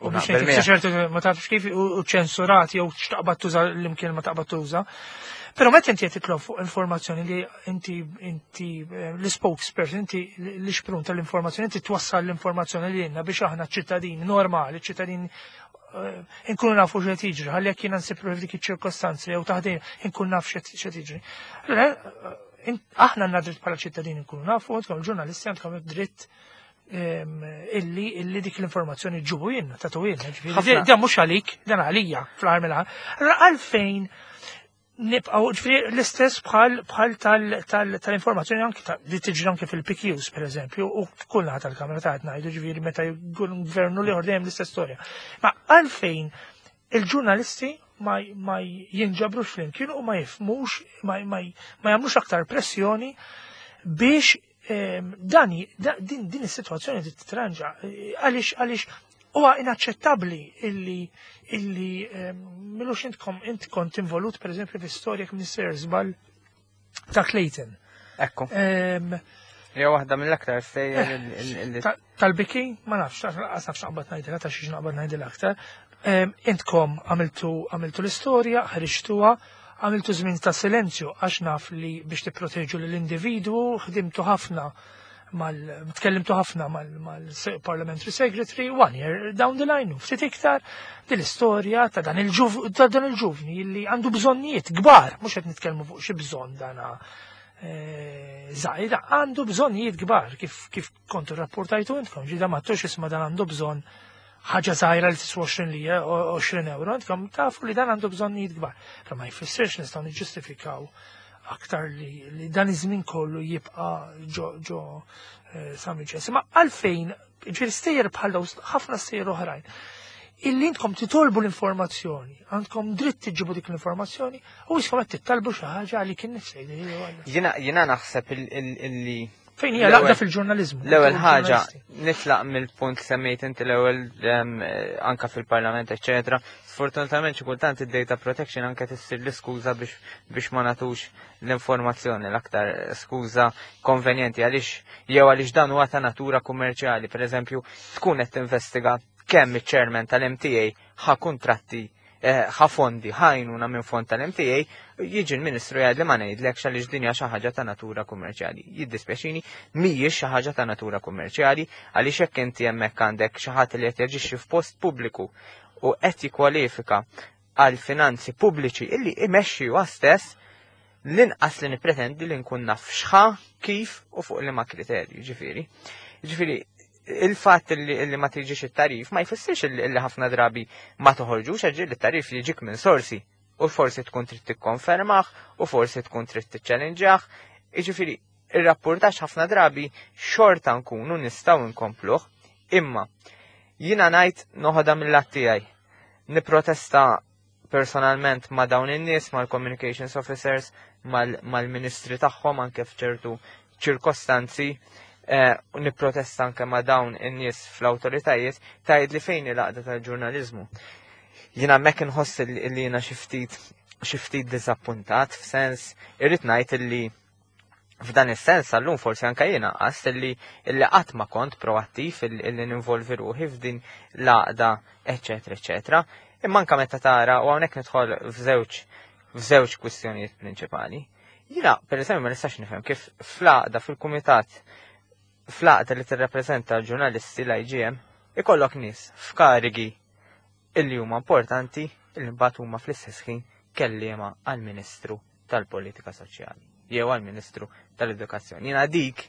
A: u biex
B: Naqbel
A: ngħid
B: miegħek.
A: ċertu ma tafx kif u ċensurati jew x'taqbad tuża l-imkien ma taqbad tuża. Però meta inti qed titlob fuq informazzjoni li inti l-spokesperson, inti l-ixprun tal-informazzjoni, inti twassal l-informazzjoni li lilna biex aħna ċittadini normali, ċittadini inkunu nafu x'qed jiġri, ħalli jekk jiena nsib ruħi f'dik iċ-ċirkostanzi jew taħdin inkun naf x'qed jiġri. Allura, aħna għandna dritt bħala ċittadini nkunu nafu, għandkom ġurnalisti għandkom dritt illi dik l-informazzjoni ġibu jenna, tatu jenna. Ġifieri, dan mhux għalik, dan għalija fl-aħħar mill-aħħar. Allura għalfejn nibqgħu, ġifieri l-istess bħal tal-informazzjoni anki li tiġri anki fil-PQs, per eżempju, u kull naħa tal-kamra ta' ngħidu, ġifieri meta jkun gvernu li dejjem l-istess storja. Ma għalfejn il-ġurnalisti ma jinġabrux flimkien u ma jifhmux, ma jagħmlux aktar pressjoni biex din is-sitwazzjoni titranġa. Għaliex huwa inaċċettabbli illi milux intkom int kont involut per eżempju fi storja kien sejjer żball ta' Clayton.
B: Ekku. Hija waħda mill-aktar stejjer li
A: Tal-biki, ma nafx, lanqas nafx naqbad ngħidilha ta' xiex naqbad ngħidilha aktar. Intkom għamiltu l-istorja, ħriġtuha, għamiltu żmien ta' silenzju għax naf li biex tipproteġu lill-individwu, ħdimtu ħafna mal, tkellimtu ħafna mal-Parliamentary Secretary, one year down the line, u ftit iktar, din l-istorja ta' dan il-ġuvni li għandu bżonnijiet kbar, mhux qed nitkellmu fuq xi bżonn dana żgħir, għandu bżonnijiet kbar, kif kontu rapportajtu intkom, ġida ma tux isma' dan għandu bżonn ħaġa żgħira li tiswa 20 lira, 20 euro, intkom tafu li dan għandu bżonnijiet kbar. Però ma jfissirx nistgħu niġġustifikaw aktar li dan iż-żmien kollu jibqa' ġo San Vincenzo. Ma għalfejn, ġifieri stejjer bħal dawn, ħafna stejjer oħrajn, illi intkom titolbu l-informazzjoni, għandkom dritt tiġibu dik l-informazzjoni, u jiskom qed tittalbu xi ħaġa li kien nifsej.
B: Jiena naħseb illi
A: Fejn hija l-għaqda fil-ġurnaliżmu?
B: L-ewwel ħaġa
A: Ġurnalisti.
B: nitlaq mill-punt li semmejt inti l-ewwel anka fil-Parlament, eċetera. Sfortunatament xi kultant id-data protection anke tissir l-iskuża biex ma nagħtux l-informazzjoni, l-aktar skuża konvenjenti għaliex jew għaliex dan huwa ta' natura kummerċjali. Per eżempju, tkun qed tinvestiga kemm iċ-chairman tal-MTA ħa kuntratti ħa fondi, ħajnuna minn fond tal-MTA, jiġi l-Ministru jgħid li ma ngħidlekx għaliex din hija xi ħaġa ta' natura kummerċjali. Jiddispjaċini, mhijiex xi ħaġa ta' natura kummerċjali għaliex hekk inti hemmhekk għandek xi ħadd li qed jaġixxi f'post pubbliku u qed jikkwalifika għal finanzi pubbliċi illi imexxi huwa stess, l-inqas li nippretendi li nkun naf x'ħa, kif u fuq liema kriterju, ġifieri. Ġifieri, il-fatt li ma tiġix it-tarif ma jfissirx li ħafna drabi ma toħorġux, għax li t-tarif jiġik minn sorsi u forsi tkun trid tikkonfermah u forsi tkun trid tiċċellinġjah. Jiġifieri, ir-rapportaġġ ħafna drabi xorta nkunu nistgħu nkompluh, imma jiena ngħid noħodha mill-lat tiegħi. Niprotesta personalment ma' dawn in-nies, mal-communications officers, mal-ministri tagħhom anke f'ċertu ċirkostanzi, u nipprotesta anke ma' dawn in-nies fl-awtoritajiet tgħid li fejn il-għaqda tal-ġurnaliżmu. Jiena hemmhekk inħoss li jiena xi ftit diżappuntat, f'sens irrid ngħid li f'dan is-sens għallum forsi anke jiena qast illi qatt ma kont proattiv illi ninvolvi ruħi f'din l-għaqda, eċetera, eċetera. Imma anke meta tara, u hawnhekk nidħol f'żewġ kwistjonijiet prinċipali. Jiena, per eżempju, ma nistax nifhem kif fl-għaqda fil-kumitat, fl-għaqda li tirrappreżenta l-ġurnalisti l-IGM, ikollok nies f'karigi illi huma importanti illi mbagħad huma fl-istess ħin kelliema għall-Ministru tal-Politika Soċjali jew għall-Ministru tal-Edukazzjoni. Jiena dik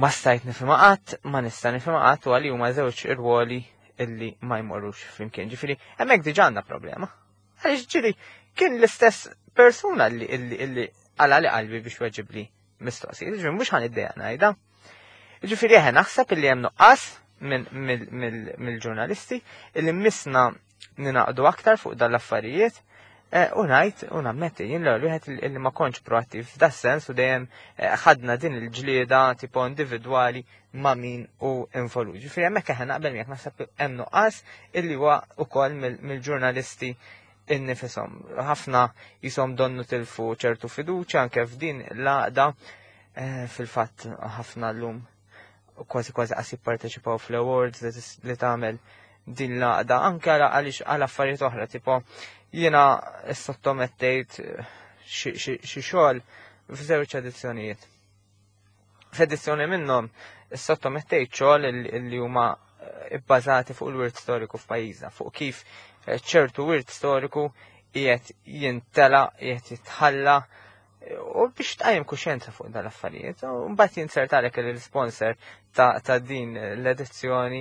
B: ma stajt nifhimha qatt, ma nista' nifhimha qatt, u għalli huma żewġ irwoli illi ma jmorrux flimkien. Ġifieri, hemmhekk diġà għandna problema. Għaliex ġieli kien l-istess persuna li illi għala li qalbi biex weġibli mistoqsijiet, ġifieri mhux ħan iddejja ngħidha. Ġifieri eħe naħseb illi hemm nuqqas mill-ġurnalisti illi misna ninaqdu aktar fuq dan l-affarijiet eh, u ngħid u nammetti jien l-ewwel wieħed illi ma kontx proattiv f'da sens u dejjem eh, ħadna din il-ġlieda tipo individwali ma' min u involut. Ġifieri hemmhekk eħe naqbel miegħek naħseb hemm nuqqas illi huwa ukoll mill-ġurnalisti innifisom. Ħafna jisom donnu tilfu ċertu fiduċa anke f'din l-għaqda eh, fil-fatt ħafna llum kważi kważi qas jipparteċipaw fl-awards li tagħmel din l-għaqda anke għaliex għal affarijiet oħra tipo jiena sottomettejt eh, xi xogħol f'żewġ edizzjonijiet. F'edizzjoni minnhom sottomettejt xogħol li huma eh, bbażati fuq il-wirt storiku f'pajjiżna, fuq kif eh, ċertu wirt storiku qiegħed jintela, qiegħed jitħalla U biex tqajjem kuxjenza fuq dan l-affarijiet, u mbagħad jinzertalek li l-sponsor ta' din l-edizzjoni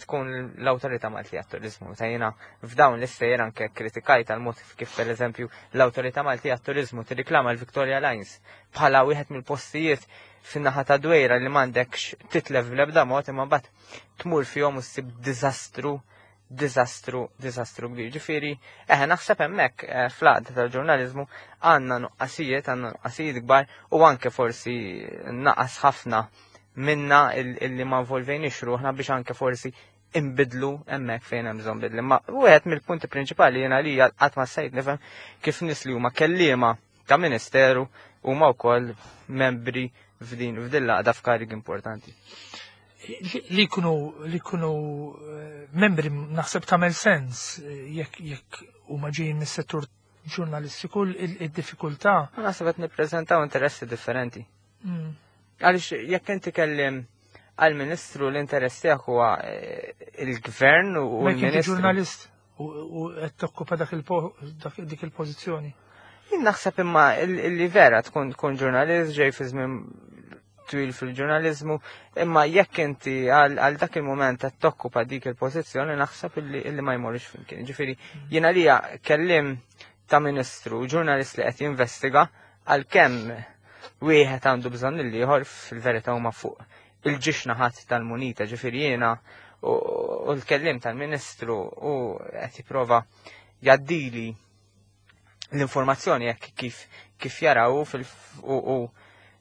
B: tkun l-Awtorità Maltija għat-Turiżmu. Ta' jiena f'dawn l-istejjer anke kritikajt għal mod kif pereżempju l-Awtorità Maltija għat-Turiżmu tirriklama l-Victoria Lines bħala wieħed mill-postijiet fin-naħa ta' Dwejra li m'għandekx titlef bl-ebda mod imma mbagħad tmur fihom u ssib diżastru diżastru, diżastru kbir. Ġifieri, eħe naħseb hemmhekk eh, fl-għaqda tal-ġurnaliżmu għandna nuqqasijiet, għandna nuqqasijiet kbar u anke forsi naqas ħafna minna illi ma involvejniex ruħna biex anke forsi imbidlu hemmhekk fejn hemm bżonn bidli. Ma wieħed mill-punti prinċipali jiena li qatt ma sejt nifhem kif nies li huma kelliema ta' ministeru huma wkoll membri f'din f'din l-għaqda f'karigi importanti.
A: Li jkunu li jkunu eh, membri naħseb tagħmel sens eh, jekk jekk huma ġejjin mis-settur ġurnalistiku id-diffikultà.
B: Naħseb qed nippreżentaw interessi differenti. Għaliex jekk inti kellim għal-ministru l-interess tiegħek huwa eh, il-gvern u l-ministru.
A: Ġurnalist u qed tokkupa dak dik il-pożizzjoni.
B: Jien naħseb imma li vera tkun tkun ġurnalist ġej fi żmien twil fil-ġurnalizmu, imma jekk inti għal dak il-moment qed tokkupa dik il-pożizzjoni naħseb illi ma jmorrix flimkien. Ġifieri jiena lija kellim ta' ministru, ġurnalist li qed jinvestiga għalkemm wieħed għandu bżonn il-ieħor fil-verità huma fuq il-ġiex naħat tal-munita, ġifieri jiena u l-kellim tal-ministru u qed jipprova jaddili l-informazzjoni jekk kif kif jaraw fil u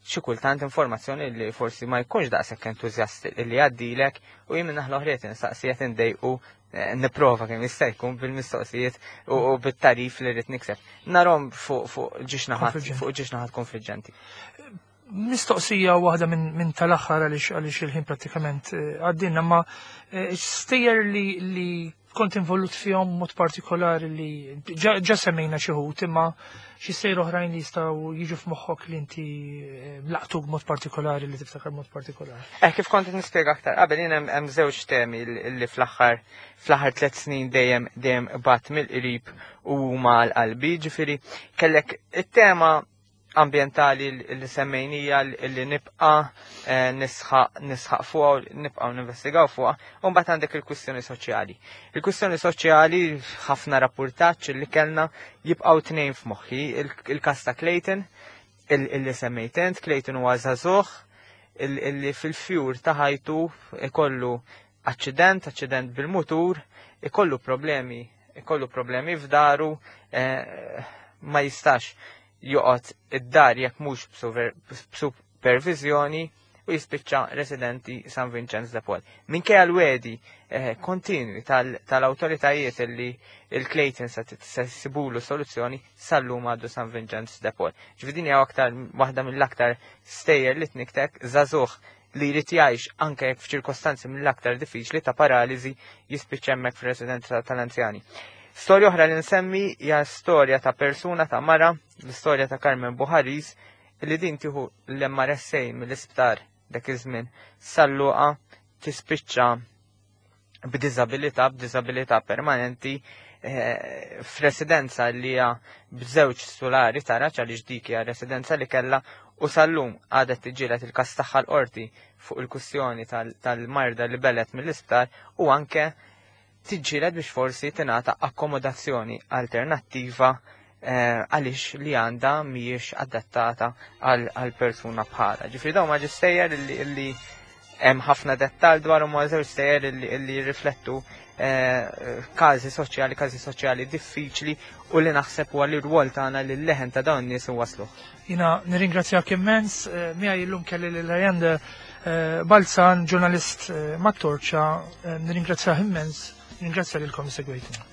B: xi kultant informazzjoni li forsi ma jkunx daqshekk entużjast li jgħaddilek u jien minn naħa l-oħra insaqsi qed indejqu eh, nipprova kemm jista' jkun bil-mistoqsijiet u bit-tarif li rrid nikseb. Narhom fuq fuq ġiex naħat fuq ġiex naħat konfliġġenti.
A: Mistoqsija waħda minn tal-aħħar għaliex għaliex il-ħin prattikament eh, għaddinna, ma eh, stejjer li, li kont involut fihom mod partikolari li ġa semmejna xi ħut imma xi stejjer oħrajn li jistgħu jiġu f'moħħok li inti eh, laqtuk mod partikolari li tiftakar mod partikolari.
B: Eh kif kont nispjega aktar qabel jien hemm żewġ temi li fl-aħħar fl-aħħar tliet snin dejjem dejjem bat mill-qrib u huma għal qalbi, ġifieri kellek it-tema ambjentali li semmejnija li nibqa eh, nisħaq nisħaq fuqha u nibqgħu ninvestigaw fuqha, u mbagħad għandek il-kwistjoni soċjali. Il-kwistjoni soċjali ħafna rappurtaġġ li kellna jibqgħu tnejn f'moħħi, il-każ ta' Clayton, illi semmejt int, Clayton huwa żagħżugħ illi fil-fjur ta' ħajtu ikollu aċċident, aċċident bil-mutur, ikollu problemi, ikollu problemi f'daru, eh, ma jistax joqgħod id-dar jekk mhux b'superviżjoni u jispiċċa residenti San Vincenz de Paul. Minkejja l-wedi eh, kontinwi tal-awtoritajiet li il-Clayton se sibulu soluzzjoni sal-lum għaddu San Vincenz de Paul. Ġifieri hija aktar waħda mill-aktar stejjer li tniktek żagħżugħ li jrid jgħix anke jekk f'ċirkostanzi mill-aktar diffiċli ta' paraliżi jispiċċa hemmhekk fir-residenza tal-anzjani. Storja oħra li nsemmi hija storja ta' persuna ta' mara, l-istorja ta' Carmen Buharis, li din tieħu l-MRSA mill-isptar dak iż-żmien sal-luqa tispiċċa b'diżabilità, b'diżabilità permanenti eh, f'residenza li hija b'żewġ sulari taraġ għaliex dik hija residenza li kellha u sal-lum għadha tiġġieled il-każ tagħha l-qorti fuq il-kwistjoni tal-marda li belet mill-isptar u anke tiġġieled biex forsi tingħata akkomodazzjoni alternattiva għaliex li għandha mhijiex adattata għal persuna bħala. Ġifieri dawn ma stejjer li hemm ħafna dettal dwarhom, ma żewġ stejjer li jirriflettu każi soċjali, każi soċjali diffiċli u li naħseb huwa li rwol tagħna li l-leħen ta' dawn nies waslu.
A: Jiena nirringrazzjak immens, miegħi llum kelli lil Leander Balzan, ġurnalist mat-Torċa, nirringrazzjah immens, nirringrazzja lilkom segwejtuna.